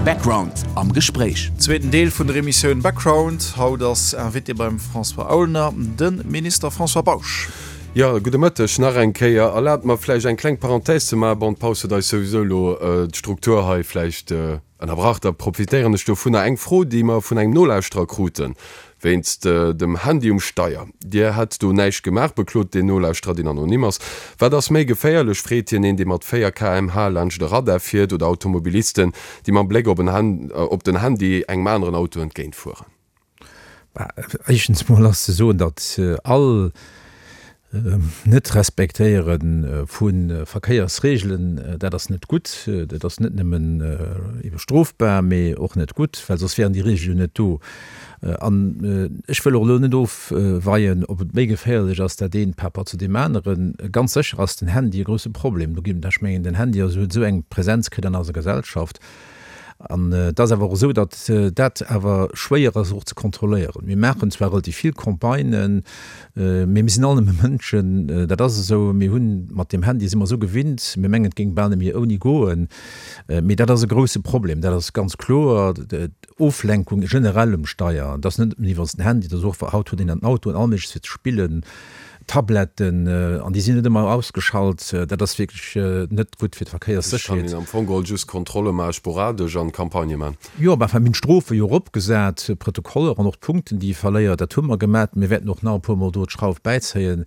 Background am Gespréich. Zweeten Deel vun der Emissioun Background. Haut ass Invité beim François Aulner de Minister François Bausch. Jo, gudde Mëtteg nach eng Kéier. Erlaabt mer vläicht eng kleng Parenthèse ze maachen. Bon, d'Paus huet eis souwisou elo d'Struktur hei vläicht ënnerbrach. Da profitéieren ech dovunner. Eng Fro, déi mer vun engem Nolauschterer kruten, wéinst dem Handy um Steier. Dir hätt do näischt gemaach, beklot deen Nolauschterer, deen anonym ass. Wat ass méi geféierlech, freet hien, een, dee mat 4 km/h laanscht e Radar fiert oder Automobilisten, déi mam Bléck op den Handy engem aneren Auto entgéintfueren? Éischtens mol ass ze soen, datt all Net-Respektéiere vu Verkéiersreegelen, dat ass net gutt. Dat ass net nëmmen ebe strofbar, mee och net gutt, well soss wären déi Reegele jo net do. An ech wëll och elo net ofweien, ob et méi geféierlech ass, dat eent par rapport zu deem aneren. Ganz sécher ass den Handy e grousse Problem. Do ginn, ech mengen, den Handy ass huet esou eng Präsenz kritt an eiser Gesellschaft. An et ass awer och esou, datt dat awer schwéier ass och ze kontrolléieren. Mir maachen zwar relativ vill Campagnen, mee mir sinn all nëmme Mënschen, dat ass esou. Mir hunn mat deem Handy si mer esou gewinnt, mir mengen et géing bal net méi ouni goen. Mee dat ass e grousse Problem, dat ass ganz kloer. D'Oflenkung generell um Steier, dat ass net nëmmen iwwer den Handy, dat ass och, haut huet een an den Autoen all Méigleches fir ze spillen. Tabletten, an déi sinn net ëmmer ausgeschalt, dat ass wierklech net gutt fir d'Verkéierssécherheet. Ech kann een am Fong geholl just Kontrolle maachen, sporadesch, an Campagnë maachen. Jo, mä enfin, mir hunn d'Strofe jo eropgesat, d'Protokoller an och d'Punkten, déi ee verléiert, dat hu mer gemat. Mir wäerten och nach e puermol do d'Schrauf bäizéien.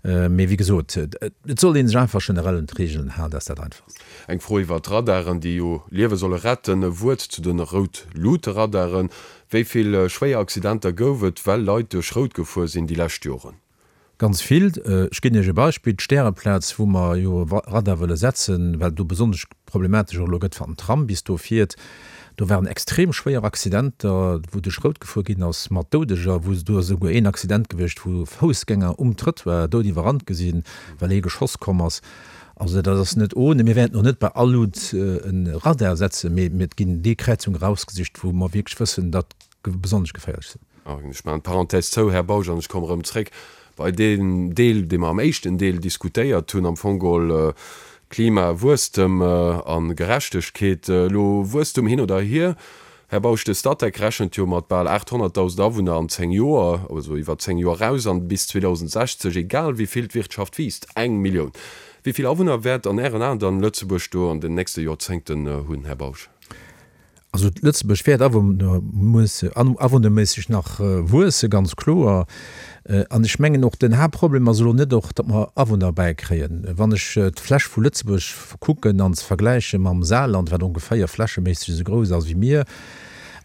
Mee wéi gesot, et soll ee sech einfach generell un d'Reegelen halen, dat ass dat Einfachst. Eng Fro iwwer d'Radaren, déi jo Liewe solle retten. E Wuert zu de Rout-Luute-Radaren. Wéi vill schwéier Accidenter gouf et, well Leit duerch Rout gefuer sinn déi lescht Joren? Ganz vill. Ech ginn Iech e Beispill, D'Stäreplaz, wou mer jo e Radar wëlle setzen, well do besonnesch problematesch och elo gëtt, wann den Tram bis do fiert, do waren extrem schwéier Accidenter, wou duerch Rout gefuer ginn ass, mat Doudeger, wou do ass esouguer een Accident gewiescht, wou Foussgänger um Trëttoir dout iwwerrannt gi sinn, well ee geschoss komm ass. Also dat ass net ohne. Mir wäerten och net bei all Luut e Radar setzen, mee et ginn déi Kräizunge erausgesicht, wou mer wierklech wëssen, datt besonnesch geféierlech sinn. Ech maachen d'Parenthèse zou, Här Bausch, an ech komme erëm zréck bei deen Deel, dee mer am éischten Deel diskutéiert hunn, am Fong geholl Klima, Wuesstem a Gerechtegkeet. Elo Wuesstum hin oder hier, Här Bausch, de Statec rechent jo mat bal 800.000 Awunner an 10 Joer, also iwwer 10 Joer eraus, an bis 2060, egal wéi vill d'Wirtschaft wiisst, eng Millioun. Wéi vill Awunner wäert an Ären Aen dann Lëtzebuerg do an den nächste Joerzéngten hunn, Här Bausch? Also Lëtzebuerg wäert awunnerméisseg nach wuesse, ganz kloer. An ech mengen och, den Haaptproblem ass elo net och, datt mer Awunner bäikréien. Wann ech d'Fläch vu Lëtzebuerg kucken an se vergläiche mam Saarland, wat ongeféier flächeméisseg esou grouss ass wéi mir.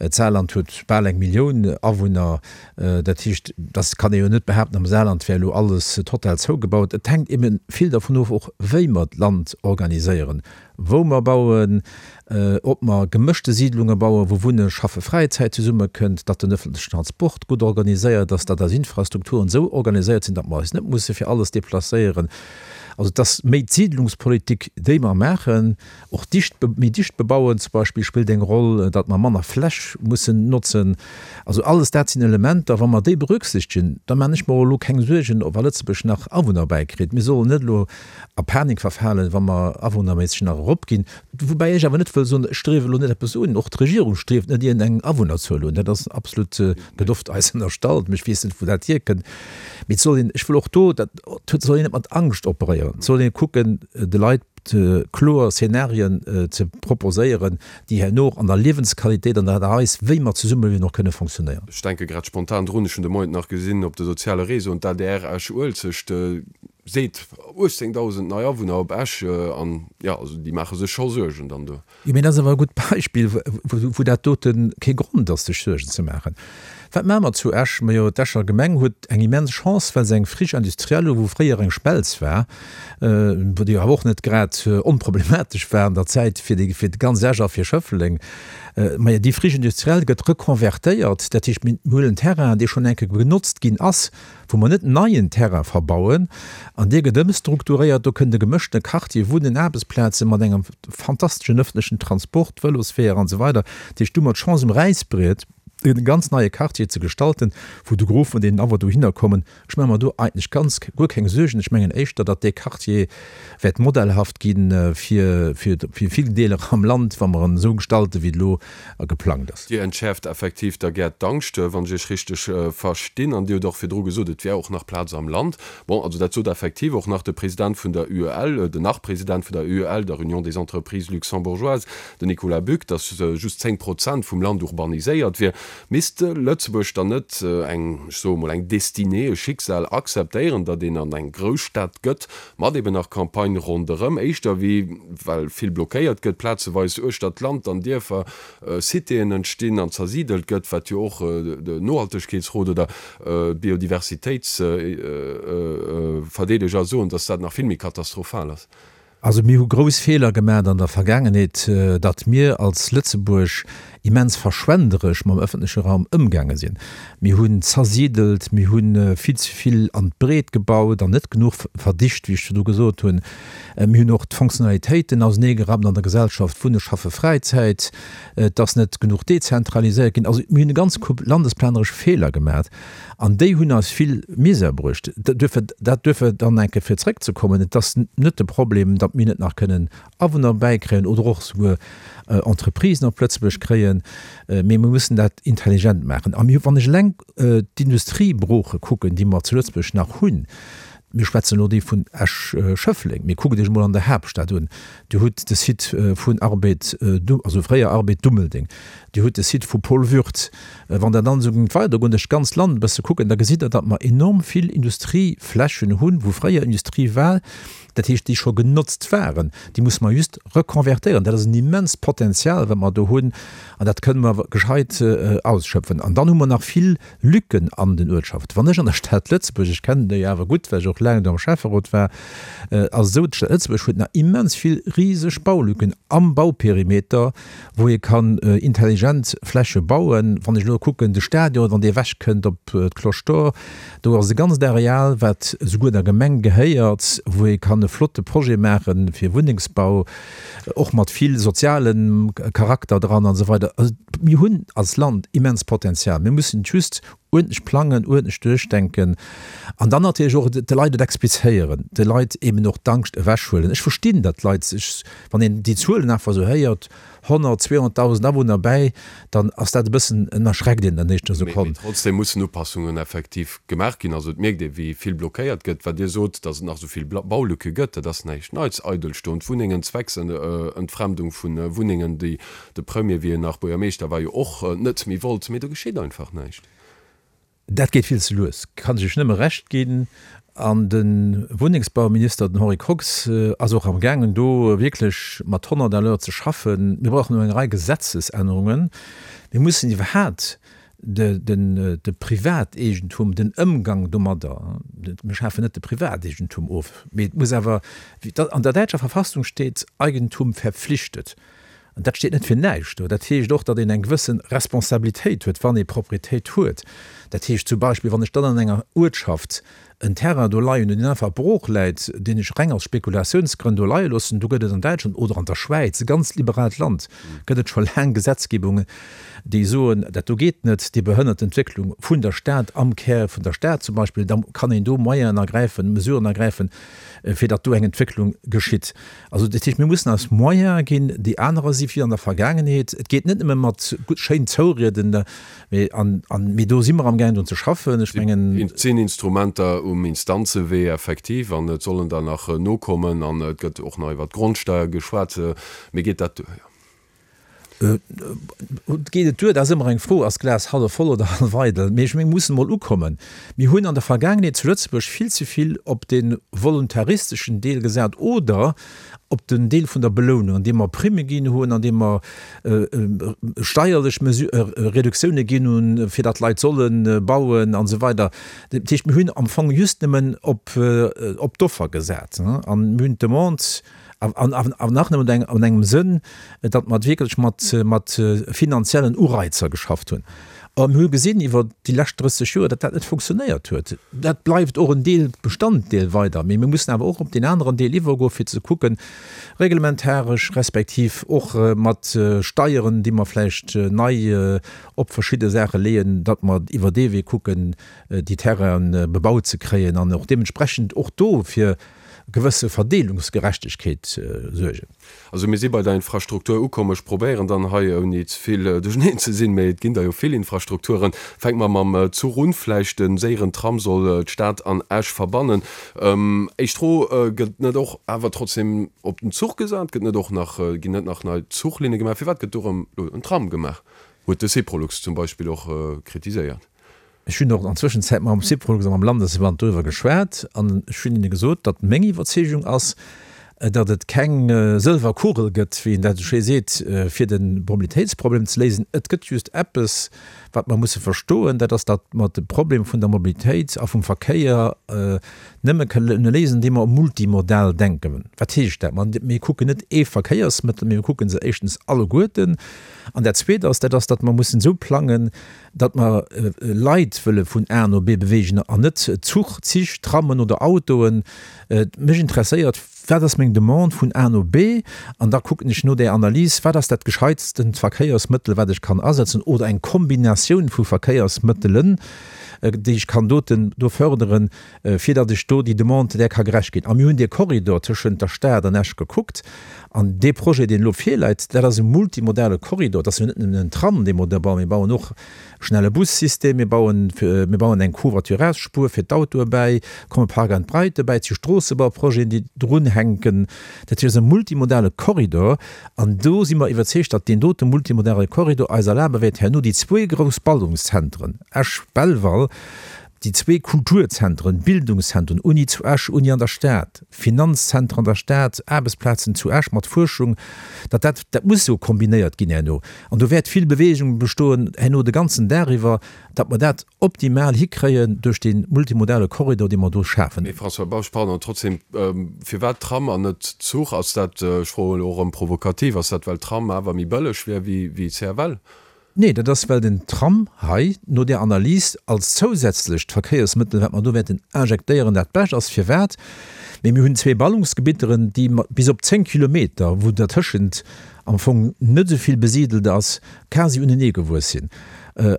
D'Saarland huet bal eng Millioun Awunner. Dat heescht, dass kann ee jo net behaapten, am Saarland wär elo alles total zougebaut. Et hänkt ebe vill dervun of och, wéi mer d'Land organiséieren, wou mer bauen, ob mer gemëschte Siidlunge bauen, wou Wunne, Schaffe, Fräizäit zesummekënnt, datt den ëffentlechen Transport gutt organiséiert ass, datt eis Infrastrukturen esou organiséiert sinn, datt mer eis net musse fir alles deplacéieren. Also et ass méi d'Siidlungspolitik, déi mer maachen. Och dicht, méi dicht bebauen zum Beispill spillt eng Roll, datt mer manner Fläch mussen notzen. Also alles dat sinn Elementer, wa mer déi berücksichtegen, da man ech mer och elo keng Suergen, ob a Lëtzebuerg nach Awunner bäikritt. Mir sollen net elo a Panik verfalen, wa mer awunnerméisseg nach eropginn. Woubäi ech awer net wëll soen, ech striewe elo net eppes un. Och d'Regierung strieft net iergendeng Awunnerzuel un. Dat ass absolut, gëtt oft eis ënnerstallt, mee ech weess net, wou dat hierkënnt. Mee et soll een, ech wëll och do, dat et soll een net mat Angscht operéieren. Et soll ee kucken, de Leit kloer Szenarien ze proposéieren, déi herno och an der Liewensqualitéit an der Aart a Weis, wéi mer zesummeliewen, och kënne fonctionnéieren. Ech denke grad spontan drun, ech hunn de Moien nach gesinn op de soziale Réseauen, d'ADR Esch-Uelzecht seet 18.000 nei Awunner op Esch an jo, also déi maache sech scho Suergen dann do. Jo, mee dat ass awer e gutt Beispill, wou dat dote kee Grond ass, sech Suergen ze maachen. Wat maache mer zu Esch? Majo, d'Escher Gemeng huet eng immens Chance, well se eng Friche industrielle hu, wou fréier eng Schmelz war, wou déi awer och net grad onproblematesch war an der Zäit fir déi, fir ganz Esch a fir Schëffleng. Majo, déi Friche industrielle gëtt rekonvertéiert, dat heescht, mir huelen Terrain, dee schonn eng Kéier genotzt ginn ass, wou mer net neien Terrain verbauen, an dee gëtt ëmstrukturéiert, do kënnt e gemëschtene Quartier, Wunnen, Aarbechtsplaze mat engem fantasteschen ëffentlechen Transport, Vëlosweeër an esou weider. Dat heescht, do hu mer d'Chance um Räisbriet e ganz neie Quartier ze gestalten, wou de Gros vun deenen Awunner dohinner kommen. Ech maache mer do eigentlech ganz guer keng Suergen. Ech mengen éischter, datt dee Quartier wäert modellhaft gi fir vill Deeler am Land, wa mer en esou gestalten, wéi et elo a geplangt ass. Dir entschäerft effektiv da gär d'Angscht, wann ech Iech richteg verstinn. An Dir hutt och virdru gesot, et wär och nach Plaz am Land. Bon, also dat sot effektiv och nach de President vun der UEL, den Nach-President vun der UEL, der Union des Entreprises Luxembourgeoises, den Nicolas Buck, datt just 10 Prozent vum Land urbaniséiert wier. Misst Lëtzebuerg dann net eng, ech soe mol, eng Destinée, e Schicksal akzeptéieren, datt een an eng Grousstad gëtt, mat eben nach Campagne ronderëm, éischter wéi, well vill blockéiert gëtt, plazeweis uechter d'Land an Dierfer, Citéen entstinn an zersidelt gëtt, wat jo och de Nohaltegkeetsrot oder d'Biodiversitéitsverdeedeger soen, datt dat nach vill méi katastrophal ass. Also mir hu grouss Feeler gemaacht an der Vergaangenheet, datt mir als Lëtzebuerg immens verschwenderesch mam ëffentleche Raum ëmgaange sinn. Mir hunn zersidelt, mir hu vill ze vill an d'Breet gebaut an net genuch verdicht, wéi ech virdu gesot hunn. Mir hunn och d'Fonctionnalitéiten auseneegerappt an der Gesellschaft, Wunne, Schaffe, Fräizäit. Et ass net genuch dezentraliséiert ginn. Also mir hunn e ganz Koup landesplaneresch Feeler gemaacht. An déi hunn eis vill Misär bruecht. Duerfir, dat duerfir dann eng Kéier fir zrëckzekommen, et ass net de Problem, datt mir net nach kënnen Awunner bäikréien oder och souguer Entreprisen op Lëtzebuerg kréien, mee mir mussen dat intelligent maachen. A mir, wann ech eleng d'Industriebrooche kucken, déi mer zu Lëtzebuerg nach hunn, mir schwätzen elo déi vun Esch-Schëffleng, mee kuckt Iech emol an der Haaptstad un, Dir hutt de Site vun Arbed, also fréier Arbed Dummeldeng, Dir hutt de Site vu Paul Würth. Wann Der dann esou géingt weidergoen, duerch d'ganzt Land e bësse kucken, da gesitt Der, datt mer enorm vill Industrieflächen hunn, wou fréier Industrie war, dat heescht, déi scho genotzt waren. Déi musse mer just rekonvertéieren. Dat ass en immenst Potenzial, wat mer do hunn, an dat kënne mer gescheit ausschöpfen. An dann hu mer nach vill Lücken an den Uertschaften. Wann ech an der Stad Lëtzebuerg, ech kennen déi awer gutt, well ech och laang do am Schäfferot war, ass esou, d'Stad Lëtzebuerg huet nach immens vill riseg Baulücken am Bauperimeter, wou ee kann intelligent Fläche bauen. Wann ech elo kucken, de Stadion, wann dee ewechkënnt op d'Cloche d'Or, do ass e ganzt Areal, wat souguer der Gemeng gehéiert, wou ee kann e flotte Projet maache fir Wunnengsbau, och mat vill sozialem Charakter dran an esou weider. Also mir hunn als Land immens Potenzial. Mir mussen et just uerdentlech plangen, uerdentlech duerchdenken an dann natierlech och de Leit et explizéieren, de Leit eben och d'Angscht ewechhuelen. Ech verstinn, datt d'Leit sech, wann een déi Zuelen einfach esou héiert, 100, 200.000 Awunner bäi, dann ass dat e bëssen, en erschreckt een an éischter Sekonn. Mee trotzdem mussen Upassungen effektiv gemaach ginn. Also et mierkt ee wéi vill blockéiert gëtt. Wat Dir sot, datt et nach esou vill Baulücke gëtt, dat ass näischt Neits. Eidelstoend Wunnengen, Zwecksentfremdung vu Wunnengen, déi de Premier, wéi en nach Buergermeeschter war, jo och net méi wollt. Mee do geschitt einfach näischt. Dat geet vill ze lues, kann ech Iech nëmme Recht ginn. An de Wunnengsbauminister, den Henri Kox, ass och amgaangen, do wierklech mat 100 à l'heure ze schaffen. Mir brauchen elo eng Rei Gesetzesännerungen. Mir mussen iwwerhaapt de Privateegentum, den Ëmgang domadder, mir schafen net de Privateegentum of, mee et muss awer, wéi an der däitscher Verfassung steet, Eigentum verpflichtet. An dat steet net fir näischt do. Dat heescht och, datt een eng gewësse Responsabilitéit huet, wann ee Proprietéit huet. Dat heescht zum Beispill, wann ech dann an enger Uertschaft en Terrain do leien hunn, deen einfach brooch läit, deen ech reng aus Spekulatiounsgrënn do leie loossen, do gëtt et an Däitschland oder an der Schwäiz, e ganz liberaalt Land, gëtt et scho laang Gesetzgebungen, déi soen, dat do geet net, déi behënnert d'Entwécklung vun der Stad, am Kär vun der Stad zum Beispill. Da kann een do Moyenen ergräifen, Mesuren ergräifen, fir datt do eng Entwécklung geschitt. Also dat heescht, mir mussen eis Moyene ginn, déi anerer si wéi an der Vergaangenheet. Et geet net nëmme mat gutt schéin Zourieden, mee an, an, mee do si mer amgaangen drun ze schaffen. Ech mengen. Et sinn Instrumenter um Instanzewee effektiv an et sollen der nach nokommen an et gëtt och nach iwwert d'Grondsteier geschwat. Mee geet dat duer? Geet et duer? Dat ass ëmmer eng Fro, Ass d'Glas hallef voll oder hallef eidel? Mee ech menge mir mussen emol ukommen. Mir hunn an der Vergaangenheet zu Lëtzebuerg vill ze vill op de voluntaristeschen Deel gesat oder op den Deel vun der Belounung, andeem mer Primme ginn hunn, andeem mer steierlech Reduktioune ginn hunn, fir datt d'Leit solle bauen an esou weider. Dat heescht, mir hunn am Fong just nëmmen op d'Offer gesat an mir hunn d'Demande An nach nëmmen an engem Sënn, datt mer wierklech mat finanziellen Ureizer geschafft hunn. A mir hu gesinn iwwer déi lescht 30 Joer, datt dat net funktionéiert huet. Dat bleift och en Deel, Bestanddeel weider, mee mir mussen awer och op deen aneren Deel iwwergoen, fir ze kucken, reglementaresch respektiv och mat Steieren, déi mer vläicht nei op verschidde Saache leeën, datt mer iwwer dee Wee kucken, déi Terrainen bebaut ze kréien an och deementsprechend och do fir gewësse Verdeelungsgerechtegkeet suergen. Also mir si bei der Infrastruktur ukomm. Ech probéieren dann hei, ouni ze vill duercherneen ze sinn, mä et ginn der jo vill Infrastrukturen, fänke mer mam Zuch un. Vläicht de séieren Tram soll d'Stad an Esch verbannen. Éischt Fro, Gëtt net och awer trotzdem op den Zuch gesat? Gëtt net och nach, ginn net nach nei Zuchlinne gemaach? Firwat gëtt do erëm elo en Tram gemaach? Huet de Syprolux zum Beispill och kritiséiert. Ech hunn och an Zwëschenzäit mam Syprolux a mam Landesverband doriwwer geschwat an ech hunn hinne gesot, datt meng Iwwerzeegung ass, datt et keng sëlwer Kugel gëtt, wéi een dat esou schéi seet, fir de Mobilitéitsproblem ze léisen. Et gëtt just eppes, wat mer musse verstoen, dat ass, datt mer de Problem vun der Mobilitéit a vum Verkéier nëmme kënne léisen, andeem mer multimodal denken. Wat heescht dat? Mir kucken net ee Verkéiersmëttel, mee mir kucke se éischtens alleguerten. An dat Zweet ass, dat ass, datt mer mussen esou plangen, datt mer Leit wëlle vun A no B beweegen an net Zuch, Zich, Trammen oder Autoen. Mech interesséiert, wat ass meng Demande vun A no B? An da kucken ech no där Analys, wat ass dat gescheitsten Verkéiersmëttel, wat ech kann asetzen oder eng Kombinatioun vu Verkéiersmëttelen, déi ech kann doten do förderen, fir datt ech do déi Demande där ka gerecht ginn. A mir hunn dee Korridor tëschent der Stad an Esch gekuckt. An dee Projet, deen elo virläit, dat ass e multimodale Korridor. Dat ass jo net nëmmen en Tram, dee mer do bauen. Mir bauen och e schnelle Bussystem, mir bauen, mir bauen eng Covoiturage-Spuer fir d'Autoe bäi, komme Park and Ride dobäi, et si Stroossebauprojeten, déi drunhänken. Dat heescht, et ass e multimodale Korridor. An do si mer iwwerzeegt, datt deen dote multimodale Korridor eis erlabe wäert, herno déi zwee grouss Ballungszentren, Esch-Belval, Déi zwee Kulturzentren, Bildungszentren, Uni zu Esch, Uni an der Stad, Finanzzenter an der Stad, Aarbechtsplazen zu Esch mat Fuerschung, datt dat, dat muss jo kombinéiert ginn herno. An do wäert vill Bewegung bestoen herno de ganzen Dag iwwer, datt mer dat optimal hikréien duerch dee multimodale Korridor, dee mer do schafen. Mee François Bausch, pardon, trotzdem, firwat Tram an net Zuch? Ass dat, ech froen elo erëm provokativ, ass dat well Tram awer méi bëlleg wär wéi CFL? Nee, dat ass, well den Tram hei no där Analys als zousätzlecht Verkéiersmëttel, wat mer do wäerten injektéieren, dat Bescht ass. Firwat? Mee mir hunn zwee Ballungsgebitteren, déi bis op 10 Kilometer, wou dertëschent am Fong net esou vill besidelt ass, quasi uneneegewuess sinn.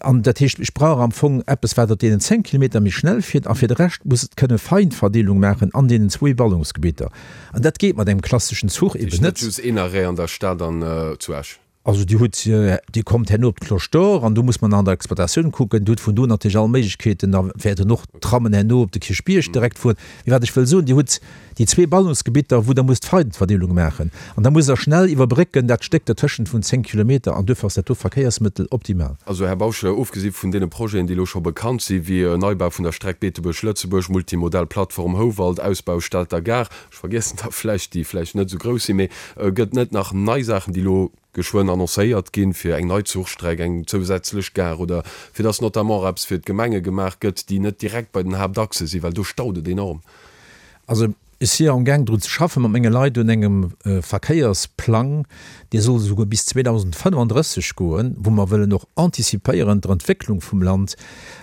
An dat heescht, ech brauch am Fong eppes, wat op deenen 10 Kilometer méi schnell fiert, a fir de Rescht muss et kënne Feinverdeelung maachen an deenen zwee Ballungsgebitter. An dat geet mat engem klasseschen Zuch eben net. Net just een Arrêt an der Stad an zu Esch. Also Dir hutt, Dir kommt herno op d'Cloche d'Or an do muss man an der Exploitatioun kucken. Dir hutt vun do natierlech all Méiglechkeeten, da wäerten och d'Trammen herno op de Kierchbierg direkt fueren. Mee wat ech wëll soen, Dir hutt déi zwee Ballungsgebitter, wou Der musst d'Feidenverdeelung maachen an da musst Der schnell iwwerbrécken dat Stéck dertëschent vun 10 Kilometer an duerfir ass dat do Verkéiersmëttel optimal. Also, Här Bausch, ofgesi vun deene Projeten, déi elo scho bekannt si wéi Neibau vun der Streck Beetebuerg-Lëtzebuerg, Multimodal Plattform Houwald, Ausbau Stater Gare, Ech vergiessen der vläicht, déi vläicht net esou grouss sinn, mee gëtt net nach nei Saachen, déi elo geschwënn annoncéiert ginn, fir eng nei Zuchstreck, eng zousätzlech Gare oder fir dass notamment och eppes fir d'Gemenge gemaach gëtt, déi net direkt bei den Haaptachse sinn, well do staut et enorm? Also ech si jo amgaang drun ze schaffen mat menge Leit un engem Verkéiersplang, dee soll esouguer bis 2035 goen, wou mer wëllen och anticipéieren d'Entwécklung vum Land,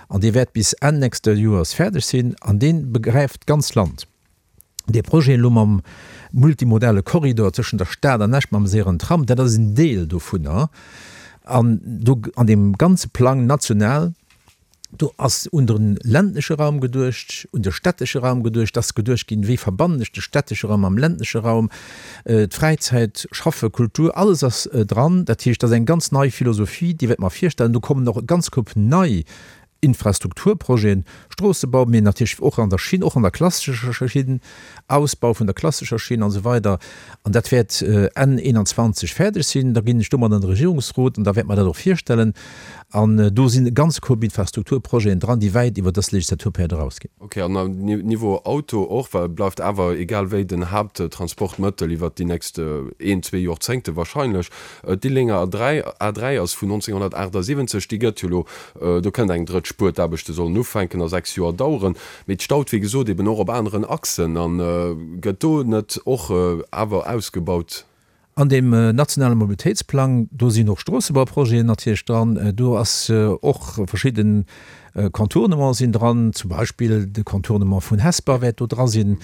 an dee wäert bis Enn nächste Joers fäerdeg sinn an dee begräift d'ganz Land. Dee Projet elo mam multimodale Korridor tëschent der Stad an Esch mam séieren Tram, dat ass en Deel dovunner. An do an deem ganze Plang national, do ass un de ländleche Raum geduecht, un de stättesche Raum geduecht, et ass geduecht ginn, wéi verbannen ech de stättesche Raum mam ländleche Raum, d'Fräizäit, Schaffe, Kultur, alles ass dran. Dat heescht, dat ass eng ganz nei Philosophie, déi wäerte mer virstellen. Do kommen och e ganz Koup nei Infrastrukturprojeten, Stroossebau, mee natierlech och an der Schinn, och an der klassescher Schinn, Ausbau vun der klassescher Schinn an esou weider. An dat wäert Enn 21 fäerdeg sinn. Da ginn ech domat an de Regierungsrot an da wäerte mer dat och virstellen. An do sinn e ganze Koup Infrastrukturprojeten dran, déi wäit iwwer dës Legislaturperiod erausginn. Ok, an am Niveau Auto och, well et bleift awer egal wéi den Haapttransportmëttel iwwert déi nächst een, zwee Jorzéngte wahrscheinlech. D'Dilldinger A3, A3 ass vun 1978, déi gëtt jo elo, do kënnt eng drëtt Spuer, d'Aarbechte sollen ufänken a 6 Joer daueren, mee et staut wéi gesot eben och op aneren Achsen a gëtt do net och awer ausgebaut? An deem nationale Mobilitéitsplang, do sinn och Stroossebauprojeten natierlech dran, do ass och verschidden Contournementen sinn dran, zum Beispill de Contournement vun Hesper wäert do dra sinn.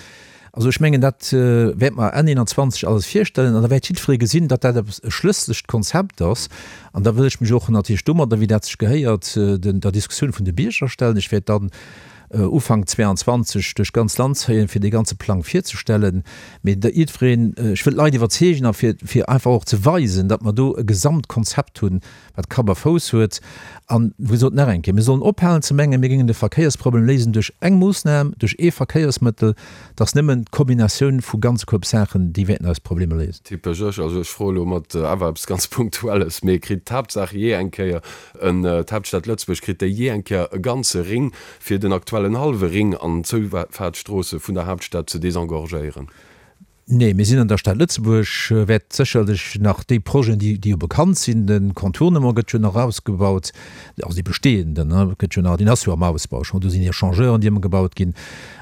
Also ech mengen, dat wäerte mer Enn 21 alles virstellen an da wäert jiddweree gesinn, datt dat eppes e schlëssegt Konzept ass. An da wëll ech mech och natierlech domadder, wéi dat sech gehéiert, den der Diskussioun vun de Bierger stellen. Ech wäert dann Ufank 22 duerch d'ganz Land zéien, fir dee ganze Plang virzestellen. Mee da jiddwereen, ech wëll d'Leit iwwerzeegen a fir fir einfach och ze weisen, datt mer do e Gesamtkonzept hunn, wat Kapp a Fouss huet. An, wéi gesot, nach eng Kéier, Mir sollen ophalen ze mengen, mir géingen de Verkéiersproblem léisen duerch eng Moossnam, duerch ee Verkéiersmëttel. Et ass nëmmen d'Kombinatioun vu ganz Koup Saachen, déi wäerten eis Problemer léisen. Typesch ech. Also ech froe elo mat awer eppes ganz Punktuelles, mee kritt d'Haaptsaach jee eng Kéier en, d'Haaptstad Lëtzebuerg, kritt déi jee eng Kéier e ganze Ring, fir den aktuellen hallwe Ring an d'Zoufaartsstroosse vun der Haaptstad ze desengorgéieren? Nee, mir sinn an der Stad Lëtzebuerg, wäert sécherlech nach déi Projeten, déi, déi jo bekannt sinn, de Contournement gëtt jo nach ausgebaut, also dee bestehenden, ne, gëtt jo nach, deen ass jo am Ausbau schonn, do sinn Echangeuren, déi ëmgebaut ginn.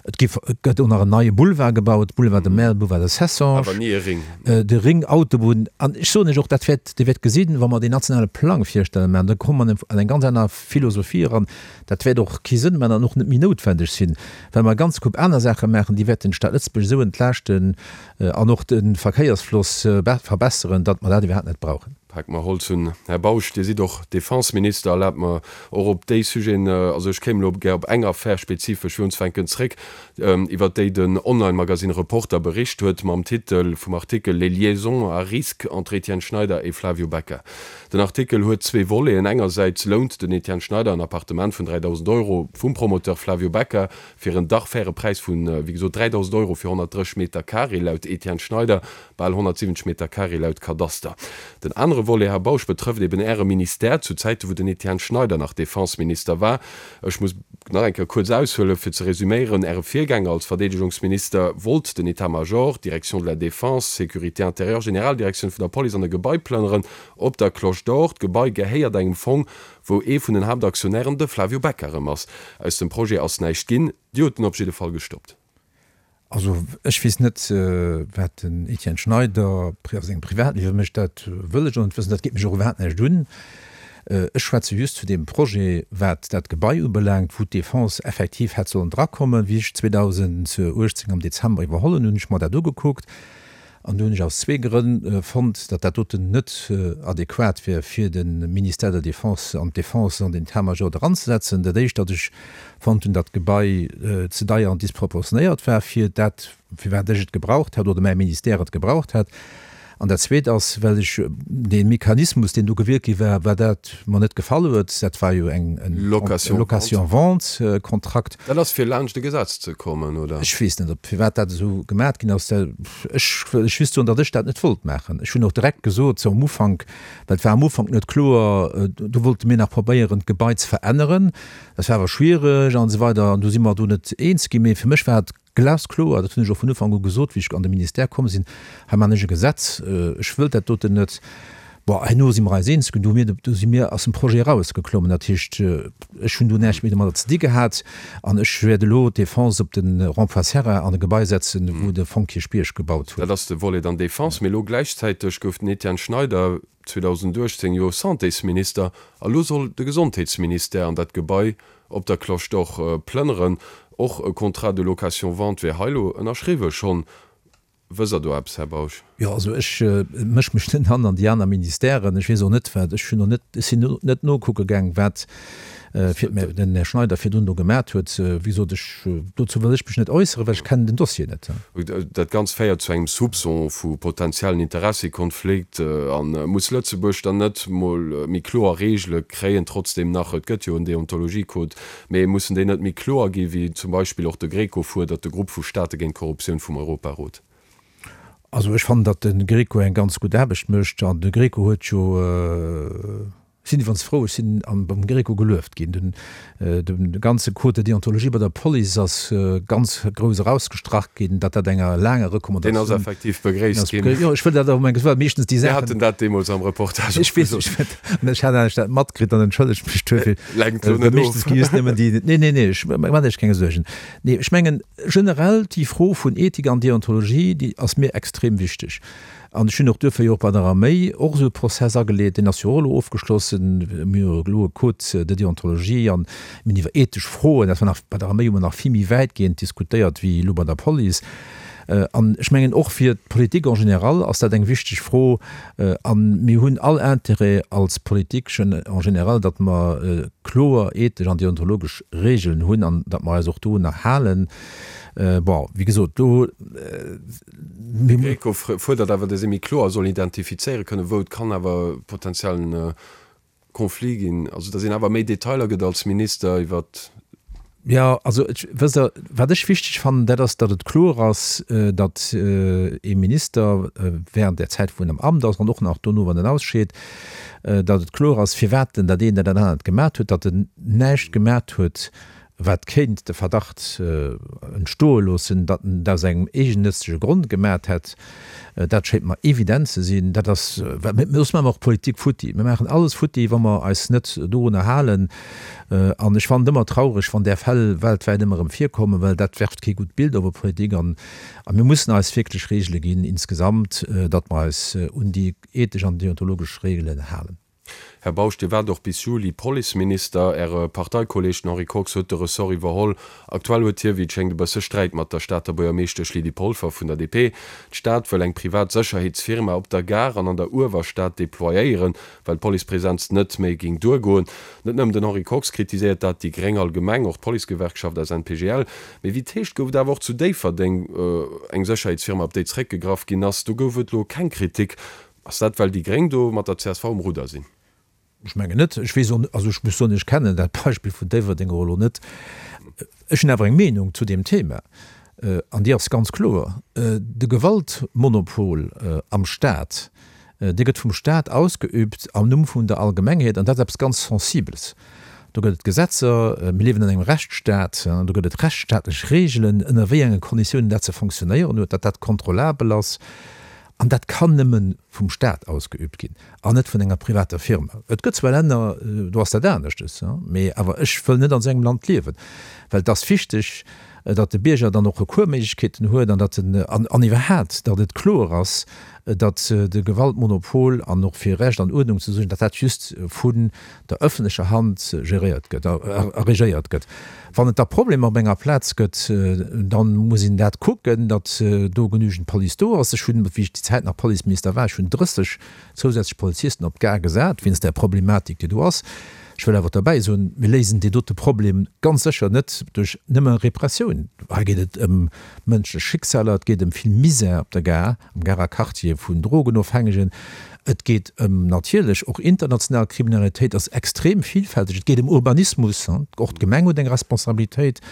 Et gi, et gëtt och nach en neie Boulevard gebaut, Boulevard de Merl, Boulevard de Cessange. Awer ni e Ring. De Ring Autobunn. An ech soen lech och, dat wäert, Dir wäert gesinn, wa mer deen nationale Plang virstellen, mä da komme mer an eng ganz aner Philosophie eran, Dat wäert och kee Sënn maachen an och net méi noutwendeg sinn, well mer e ganze Koup aner Saache maachen, déi wäerten d'Stad Lëtzebuerg esou entlaaschten an och de Verkéiersfloss verbesseren, datt mer dat iwwerhaapt net brauchen. Pake mer Holz un. Här Bausch, Dir sidd och Defenseminister. Erlaabt mer och op déi Sujeten, also ech kéim elo gär op eng Affär spezifesch fir unzefänken zréck, iwwert déi den Online-Magasinn Reporter bericht huet mam Titel vum Artikel Les liaisons à risque entre Étienne Schneider et Flavio Becca. Den Artikel huet zwee Voleten, Engersäits lount den Etienne Schneider en Appartement vun 3.000 Euro vum Promoteur Flavio Becca fir en dach faire Präis vun, wéi gesot, 3.000 Euro fir 130 Meter Carré laut Etienne Schneider, bal 170 Meter Carré laut Kadaster. Den anere Volet, Här Bausch, betrëfft eben Äre Ministère zu Zäite wou den Etienne Schneider nach Defenseminister war. Ech muss nach eng Kéier kuerz aushuelen, fir ze resüméieren, Äre Virgänger als Verdeedegungsminister wollt den État-major, d'Direction de la Défense, Sécurité intérieure, Generaldirektioun vun der Police an e Gebai plënneren op der Cloche d'Or. D'Gebai gehéiert engem Fong, wou ee vun den Haaptaktionären de Flavio Becca erëm ass. Aus dem Projet ass näischt ginn. Dir hutt en op jidde Fall gestoppt. Also ech weess net, wat den Etienne Schneider a sengem Privatliewe mécht, dat wëll ech och net wëssen, dat geet mech och iwwerhaapt näischt un. Ech schwätze just zu deem Projet, wat dat Gebai ubelaangt, wou d'Defense effektiv hätt sollen drakommen. Wéi ech 2018 am Dezember iwwerholl hunn, hunn ech mer dat ugekuckt An do hunn ech aus zwee Grënn fonnt, datt dat doten net adequat wär, fir de Ministère de la Défense an d'Defense an den État-major eranzesetzen. Dat Éischt, datt ech fonnt hunn, datt d'Gebai ze deier an disproportionéiert war fir dat, firwat ech et gebraucht hätt oder mäi Ministère et gebraucht hätt. An dat Zweet ass, well ech dee Mechanismus, deen do gewielt gi war, well dat mer net gefall huet, dat war jo eng Location-Vente-Kontrakt. Dat ass fir laanscht e Gesetz ze kommen, oder? Ech weess net, ob firwat dat esou gemat ginn ass. Ech wëll lech just soen, datt ech dat net wollt maachen. Ech hunn och direkt gesot, sou am Ufank, well et war am Ufank net kloer, do wollte mir nach probéieren, d'Gebai ze veränneren, dat war awer schwiereg an esou weider an du si mer do net eens ginn. Mee fir mech war et Glaskloer, dat hunn ech och vun Ufank u gesot, wéi ech an de Ministère komm sinn, hei maachen ech e Gesetz, ech wëll dat doten net. Bon, herno si mer eis eens ginn, do hu mir, do si mir aus dem Projet erausgeklommen. Dat heescht, ech hunn do näischt méi domadder ze di gehat an ech wäert elo d'Defense op de Rond-point Serra an e Gebai setzen, wou de Fong Kierchbierg gebaut huet. Dat ass de Volet dann Defense. Mee elo gläichzäiteg gouf den Etienne Schneider 2018 jo Santésminister a lo soll de Gesondheetsministère an dat Gebai op der Cloche d'Or plënneren. Och e Contrat de location-vente wär hei lo ënnerschriwwe schonn. Wësst Der do eppes, Här Bausch? Jo, also ech mësch mech net an an déi aner Ministèren. Ech weess och net, wat, ech hunn och net, ech sinn net nokucke gaang, wat fir den Här Schneider virdrun do gemat huet. Wéi gesot, ech, dozou wëll ech mech net äusseren, well ech kennen den Dossier net. Dat Ganzt féiert zu engem Soupçon vu potentiellen Interessekonflikt. A muss Lëtzebuerg dann net mol méi kloer Reegele kréien? Trotzdeem nach, et gëtt jo en Deontologiecode, mee mussen déi net méi kloer gi wéi zum Beispill och de Greco fuerdert, de Grupp vu Staate géint d'Korruptioun vum Europarot? Also ech fannen, datt de Greco eng ganz gutt Aarbecht mécht. An de Greco huet jo. Ech sinn iwwerens frou, ech sinn beim Greco gelueft ginn. Den de ganze Code de déontologie bei der Police ass ganz grouss erausgestrach ginn, datt dat enger laanger Recommandatioun. Deen ass effektiv begréisst ginn. Jo, ech wëll dat awer mengen, well meeschtens déi Saachen. Mir haten dat deemools am Reportage och gesot. Ech weess, ech hat anescht dat matkritt an entschëllegt mech duerfir. Lenkt elo net of. Meeschtens gi just nëmmen déi. Nee, nee, nee, ech maachen lech keng Suergen. Nee, ech mengen generell déi Fro vun Ethik an Deontologie, déi ass mir extrem wichteg. An ech hunn och duerfir jo och bei der Arméi och esou e Prozess ageleet, deen ass jo och elo ofgeschlossen. Mir hu elo e Code de déontologie an mir hunn iwwer ethesch Froen, dat war nach bei der Arméi hu mer nach vill méi wäitgehend diskutéiert wéi elo bei der Police. An ech mengen och fir d'Politik en général ass dat eng wichteg Fro. A mir hunn all Intérêt als Politik en général, datt mer kloer ethesch an deontologesch Regeln hunn an datt mer eis och dorunner halen. Bon, wéi gesot, do. De Greco fuerdert awer, datt ee méi kloer soll identifizéiere kënnen, wou et kann awer potentiellen Conflit ginn. Also datt een awer méi Detailer gëtt als Minister iwwer. Jo, also ech, wësst Der, wat ech wichteg fannen, dat ass, datt et kloer ass, datt ee Minister während där Zäit, wou en am Amt ass, an och nach dono, wann en ausscheet, datt et kloer ass, firwat en dat eent oder dat anert gemat huet, datt en näischt gemat huet, wat kéint de Verdacht entstoe loossen, datt en dat aus engem eegennëtzege Grond gemat hätt, dat schéint mer evident ze sinn. Dat ass, soss maache mer och Politik futti. Mir maachen alles futti, wa mer eis net dorunner halen. An ech fannen et ëmmer traureg, wann där Fäll weltwäit ëmmer erëm virkommen, well dat werft kee gutt Bild op e Politik. An mir mussen eis wierklech Regele ginn insgesamt, datt mer eis un déi ethesch an deontologesch Regelen halen. Här Bausch, Dir waart och bis Juli Policeminister. Äre Parteikolleeg, den Henri Kox, huet de Ressort iwwerholl. Aktuell huet hie, wéi et schéngt, e bësse Sträit mat der Stater Buergermeeschtesch Lydie Polfer vun der DP. D'Stad wëll eng privat Sécherheetsfirma op der Gare an an der Uewerstad deployéieren, well d'Policepresenz net méi géing duergoen. Net nëmmen den Henri Kox kritiséiert dat, déi Gréng allgemeng, och d'Policegewerkschaft SNPGL. Mee wéi et heescht, gouf et awer och zu Déifferdeng eng Sécherheetsfirma, op déi zeréckgegraff ginn ass. Do gouf et elo keng Kritik. Ass dat well déi Gréng do mat der csv um Rudder sinn? Ech mengen net. Ech weess och, also ech muss soen, ech kennen dat Beispill vun Déifferdeng och elo net. Ech hunn awer eng Meenung zu deem Thema an déi ass ganz kloer, De Gewaltmonopol am Staat, dee gëtt vum Staat ausgeübt am Numm vun der Allgemengheet an dat ass eppes ganz Sensibles. Do gëtt et Gesetzer, mir liewen an engem Rechtsstaat, do gëtt et rechtsstaatlech Reegelen, ënner wéi enge Konditiounen dat ze fonctionnéieren huet, datt dat kontrollabel ass. An dat kann nëmme vum Staat ausgeübt ginn an net vun enger privater Firma. Et gëtt zwar Länner, do ass dat aneschtes, mee awer ech wëll net an esou engem Land liewen, well et ass wichteg, datt de Bierger dann och Recoursméiglechkeeten huet an datt en, an iwwerhaat, datt et kloer ass, datt de Gewaltmonopol an och fir Recht an Uerdnung ze suergen, datt dat just vun der ëffentlecher Hand geréiert gëtt a regéiert gëtt. Wann et da Problemer op enger Plaz gëtt, da muss een dat kucken, datt do genügend Police do ass. Ech hunn, wéi ech déi Zäit nach Policeminister war, ech hunn 30 zousätzlech Polizisten op d'Gare gesat, wéinst där Problematik, déi do ass. Ech wëll awer derbäi soen, mir léisen deen dote Problem ganz sécher net duerch nëmme Repressioun. Hei geet et ëm mënschlech Schicksaler, et geet ëm vill Misär op der Gare, am Garer Quartier vun Drogenofhängegen, et geet ëm natierlech och international Kriminalitéit, ass extrem vielfälteg, et geet ëm Urbanismus, och d'Gemeng huet eng Responsabilitéit,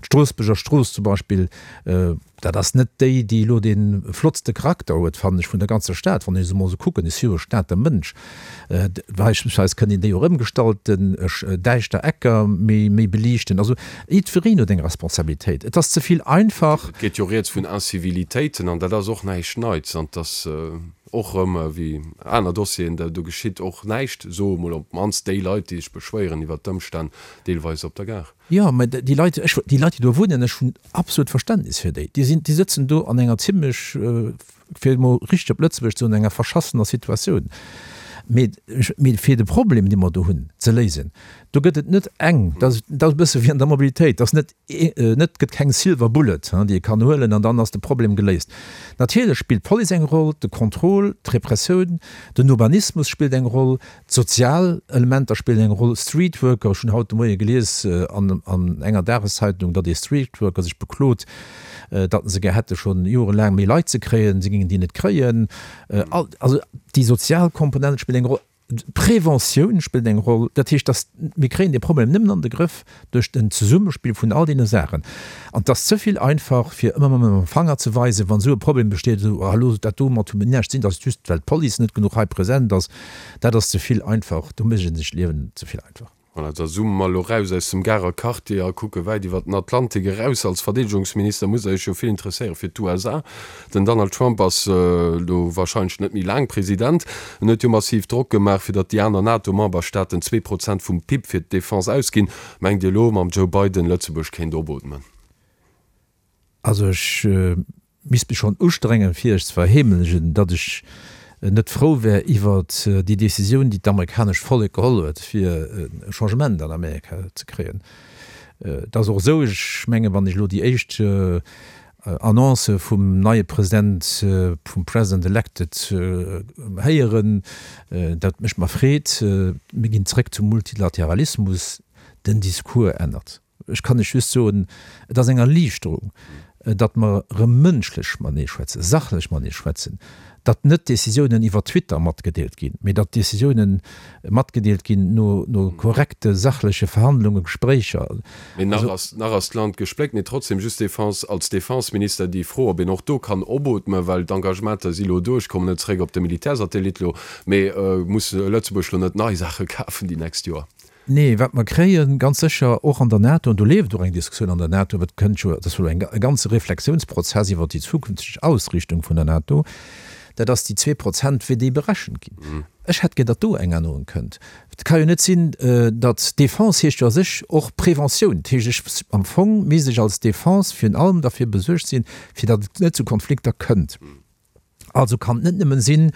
d'Stroossbuerger Strooss zum Beispill, Dat ass net déi, déi elo dee flottste Charakter huet, fannen ech, vun der ganzer Stad, wann ech se emol esou kucken. Ech si jo e Stater Mënsch. Beispillsweis kënnt een déi och ëmgestalten, däischter Ecker méi, méi beliichten. Also jiddwereen huet eng Responsabilitéit. Et ass ze vill einfach. Et geet jo rieds vun Incivilitéiten an dat ass och näischt Neits an et ass och erëm wéi aner Dossieren, do geschitt och näischt, soe mol op d'mannst déi Leit, déi sech beschwéieren iwwert d'Ëmstänn deelweis op der Gare. Jo, mä déi Leit, ech, déi Leit, déi do wunnen, ech hunn absolut Verständnis fir déi. Déi sinn, déi sëtzen do an enger zimlech, fir emol richteg op Lëtzebuergesch ze soen, enger verschassener Situatioun. Mee, mee fir de Problem, dee mer do hunn, ze léisen, do gëtt et net eng, dat ass, dat ass e bësse wéi an der Mobilitéit, dat ass net, net, gëtt keng Silver Bullet, déi ee kann huelen an dann ass de Problem geléist. Natierlech spillt d'Police eng Roll, de Contrôle, d'Repressioun, den Urbanismus spillt eng Roll, D'sozial Elementer spillen eng Roll. Streetworker, ech hunn haut de Moie gelies an enger Dageszeitung, datt ee Streetworker sech beklot, datt se gär hätte schonn jorelaang méi Leit ze kréien, se géingen déi net kréien. Also déi sozial Komponent spillt eng Roll. D'Preventioun spillt eng Roll. Dat heescht, datt mir kréien dee Problem nëmmen an de Grëff duerch den Zesummespill vun all deene Saachen. An et ass ze vill einfach, fir ëmmer mam Fanger ze weisen, wann esou e Problem besteet, esou, ah elo dat domat hu mir näischt ze dinn, dat ass just well d'Police net genuch hei present ass. Dat ass ze vill einfach, do mécht ee sech d'Liewen ze vill einfach. Voilà, da zoome mer elo raus aus dem Garer Quartier a kucke wäit iwwer den Atlantik eraus. Als Verdeedegungsminister musst Der Iech jo vill interesséiere fir d'USA. Den Donald Trump ass elo warscheinlech net méi laang President. En huet jo massiv Drock gemaach, fir datt déi aner NATO-Memberstaaten 2% vum PIB fir d'Defense ausginn. Mengt Dir elo, mam Joe Biden, Lëtzebuerg kéint opootmen? Also ech misst mech schonn ustrengen, fir iech ze verheemlegen, datt ech net frou wär iwwert déi Décisioun, déi d'amerikanescht Vollek geholl huet, fir e Changement an Amerika ze kréien. Et ass och esou, ech mengen, wann ech elo déi éischt Annoncë vum neie President, vum President elected héieren, dat mécht mer Freed, mir ginn zréck zum Multilateralismus, den Discours ännert. Ech kann lech just soen, et ass eng Erliichterung, datt mer erëm mënschlech matenee schwätzen, sachlech matenee schwätzen, datt net Décisiounen iwwer Twitter matgedeelt ginn, mee datt Décisiounen matgedeelt ginn no no korrekte sachleche Verhandlungen, Gespréicher. Mee nach ass, nach ass d'Land gespléckt. Mee trotzdem, just Défense, als Défenseminister déi Fro, ob een och do kann opootmen, well d'Engagementer si lo do, ech kommen net zeréck op de Militärsatellit lo, mee muss Lëtzebuerg lo net nei Saache kafen déi nächst Joer? Nee, wat mer kréien, ganz sécher och an der NATO, an do leeft och eng Diskussioun an der NATO, et kënnt jo, et ass jo elo e ganze Reflexiounsprozess iwwert déi zukünfteg Ausriichtung vun der NATO, dat ass déi 2%, wéi déi berechent ginn. Ech hätt gär, datt do eng Ännerung kënnt. Et ka jo net sinn, datt Défense heescht jo a sech och Preventioun. Dat heescht, ech, am Fong misst ech als Défense virun allem derfir besuergt sinn, fir datt et net zu Konflikter kënnt. Also kann et net nëmmen sinn,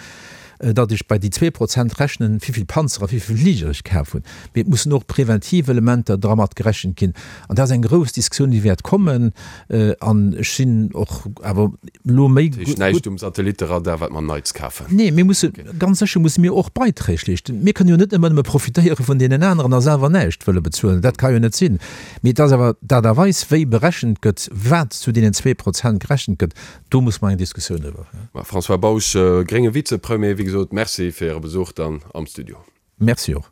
datt ech bei déi 2% rechnen, wéivill Panzer a wéivill Fliger ech kaf hunn, mee et mussen och preventiv Elementer dra mat gerechent ginn. An dat ass eng grouss Diskussioun, déi wäert kommen. An ech sinn och awer elo méi. Dat heescht näischt um Satellitteradar, wat mer Neits kafen? Nee, mir musse ganz sécher musse mir och Beiträg leeschten. Mir kënnen jo net ëmmer nëmme profitéiere vun deenen aneren a selwer näischt wëlle bezuelen. Dat ka jo net sinn. Mee et ass awer d'Aart a Weis, wéi berechent gëtt, wat zu deenen 2% gerechent gëtt, Do muss mer eng Diskussioun driwwer féieren. François Bausch, grénge Vizepremier, wéi gesot, Merci fir Äre Besuch dann am Studio. Merci och.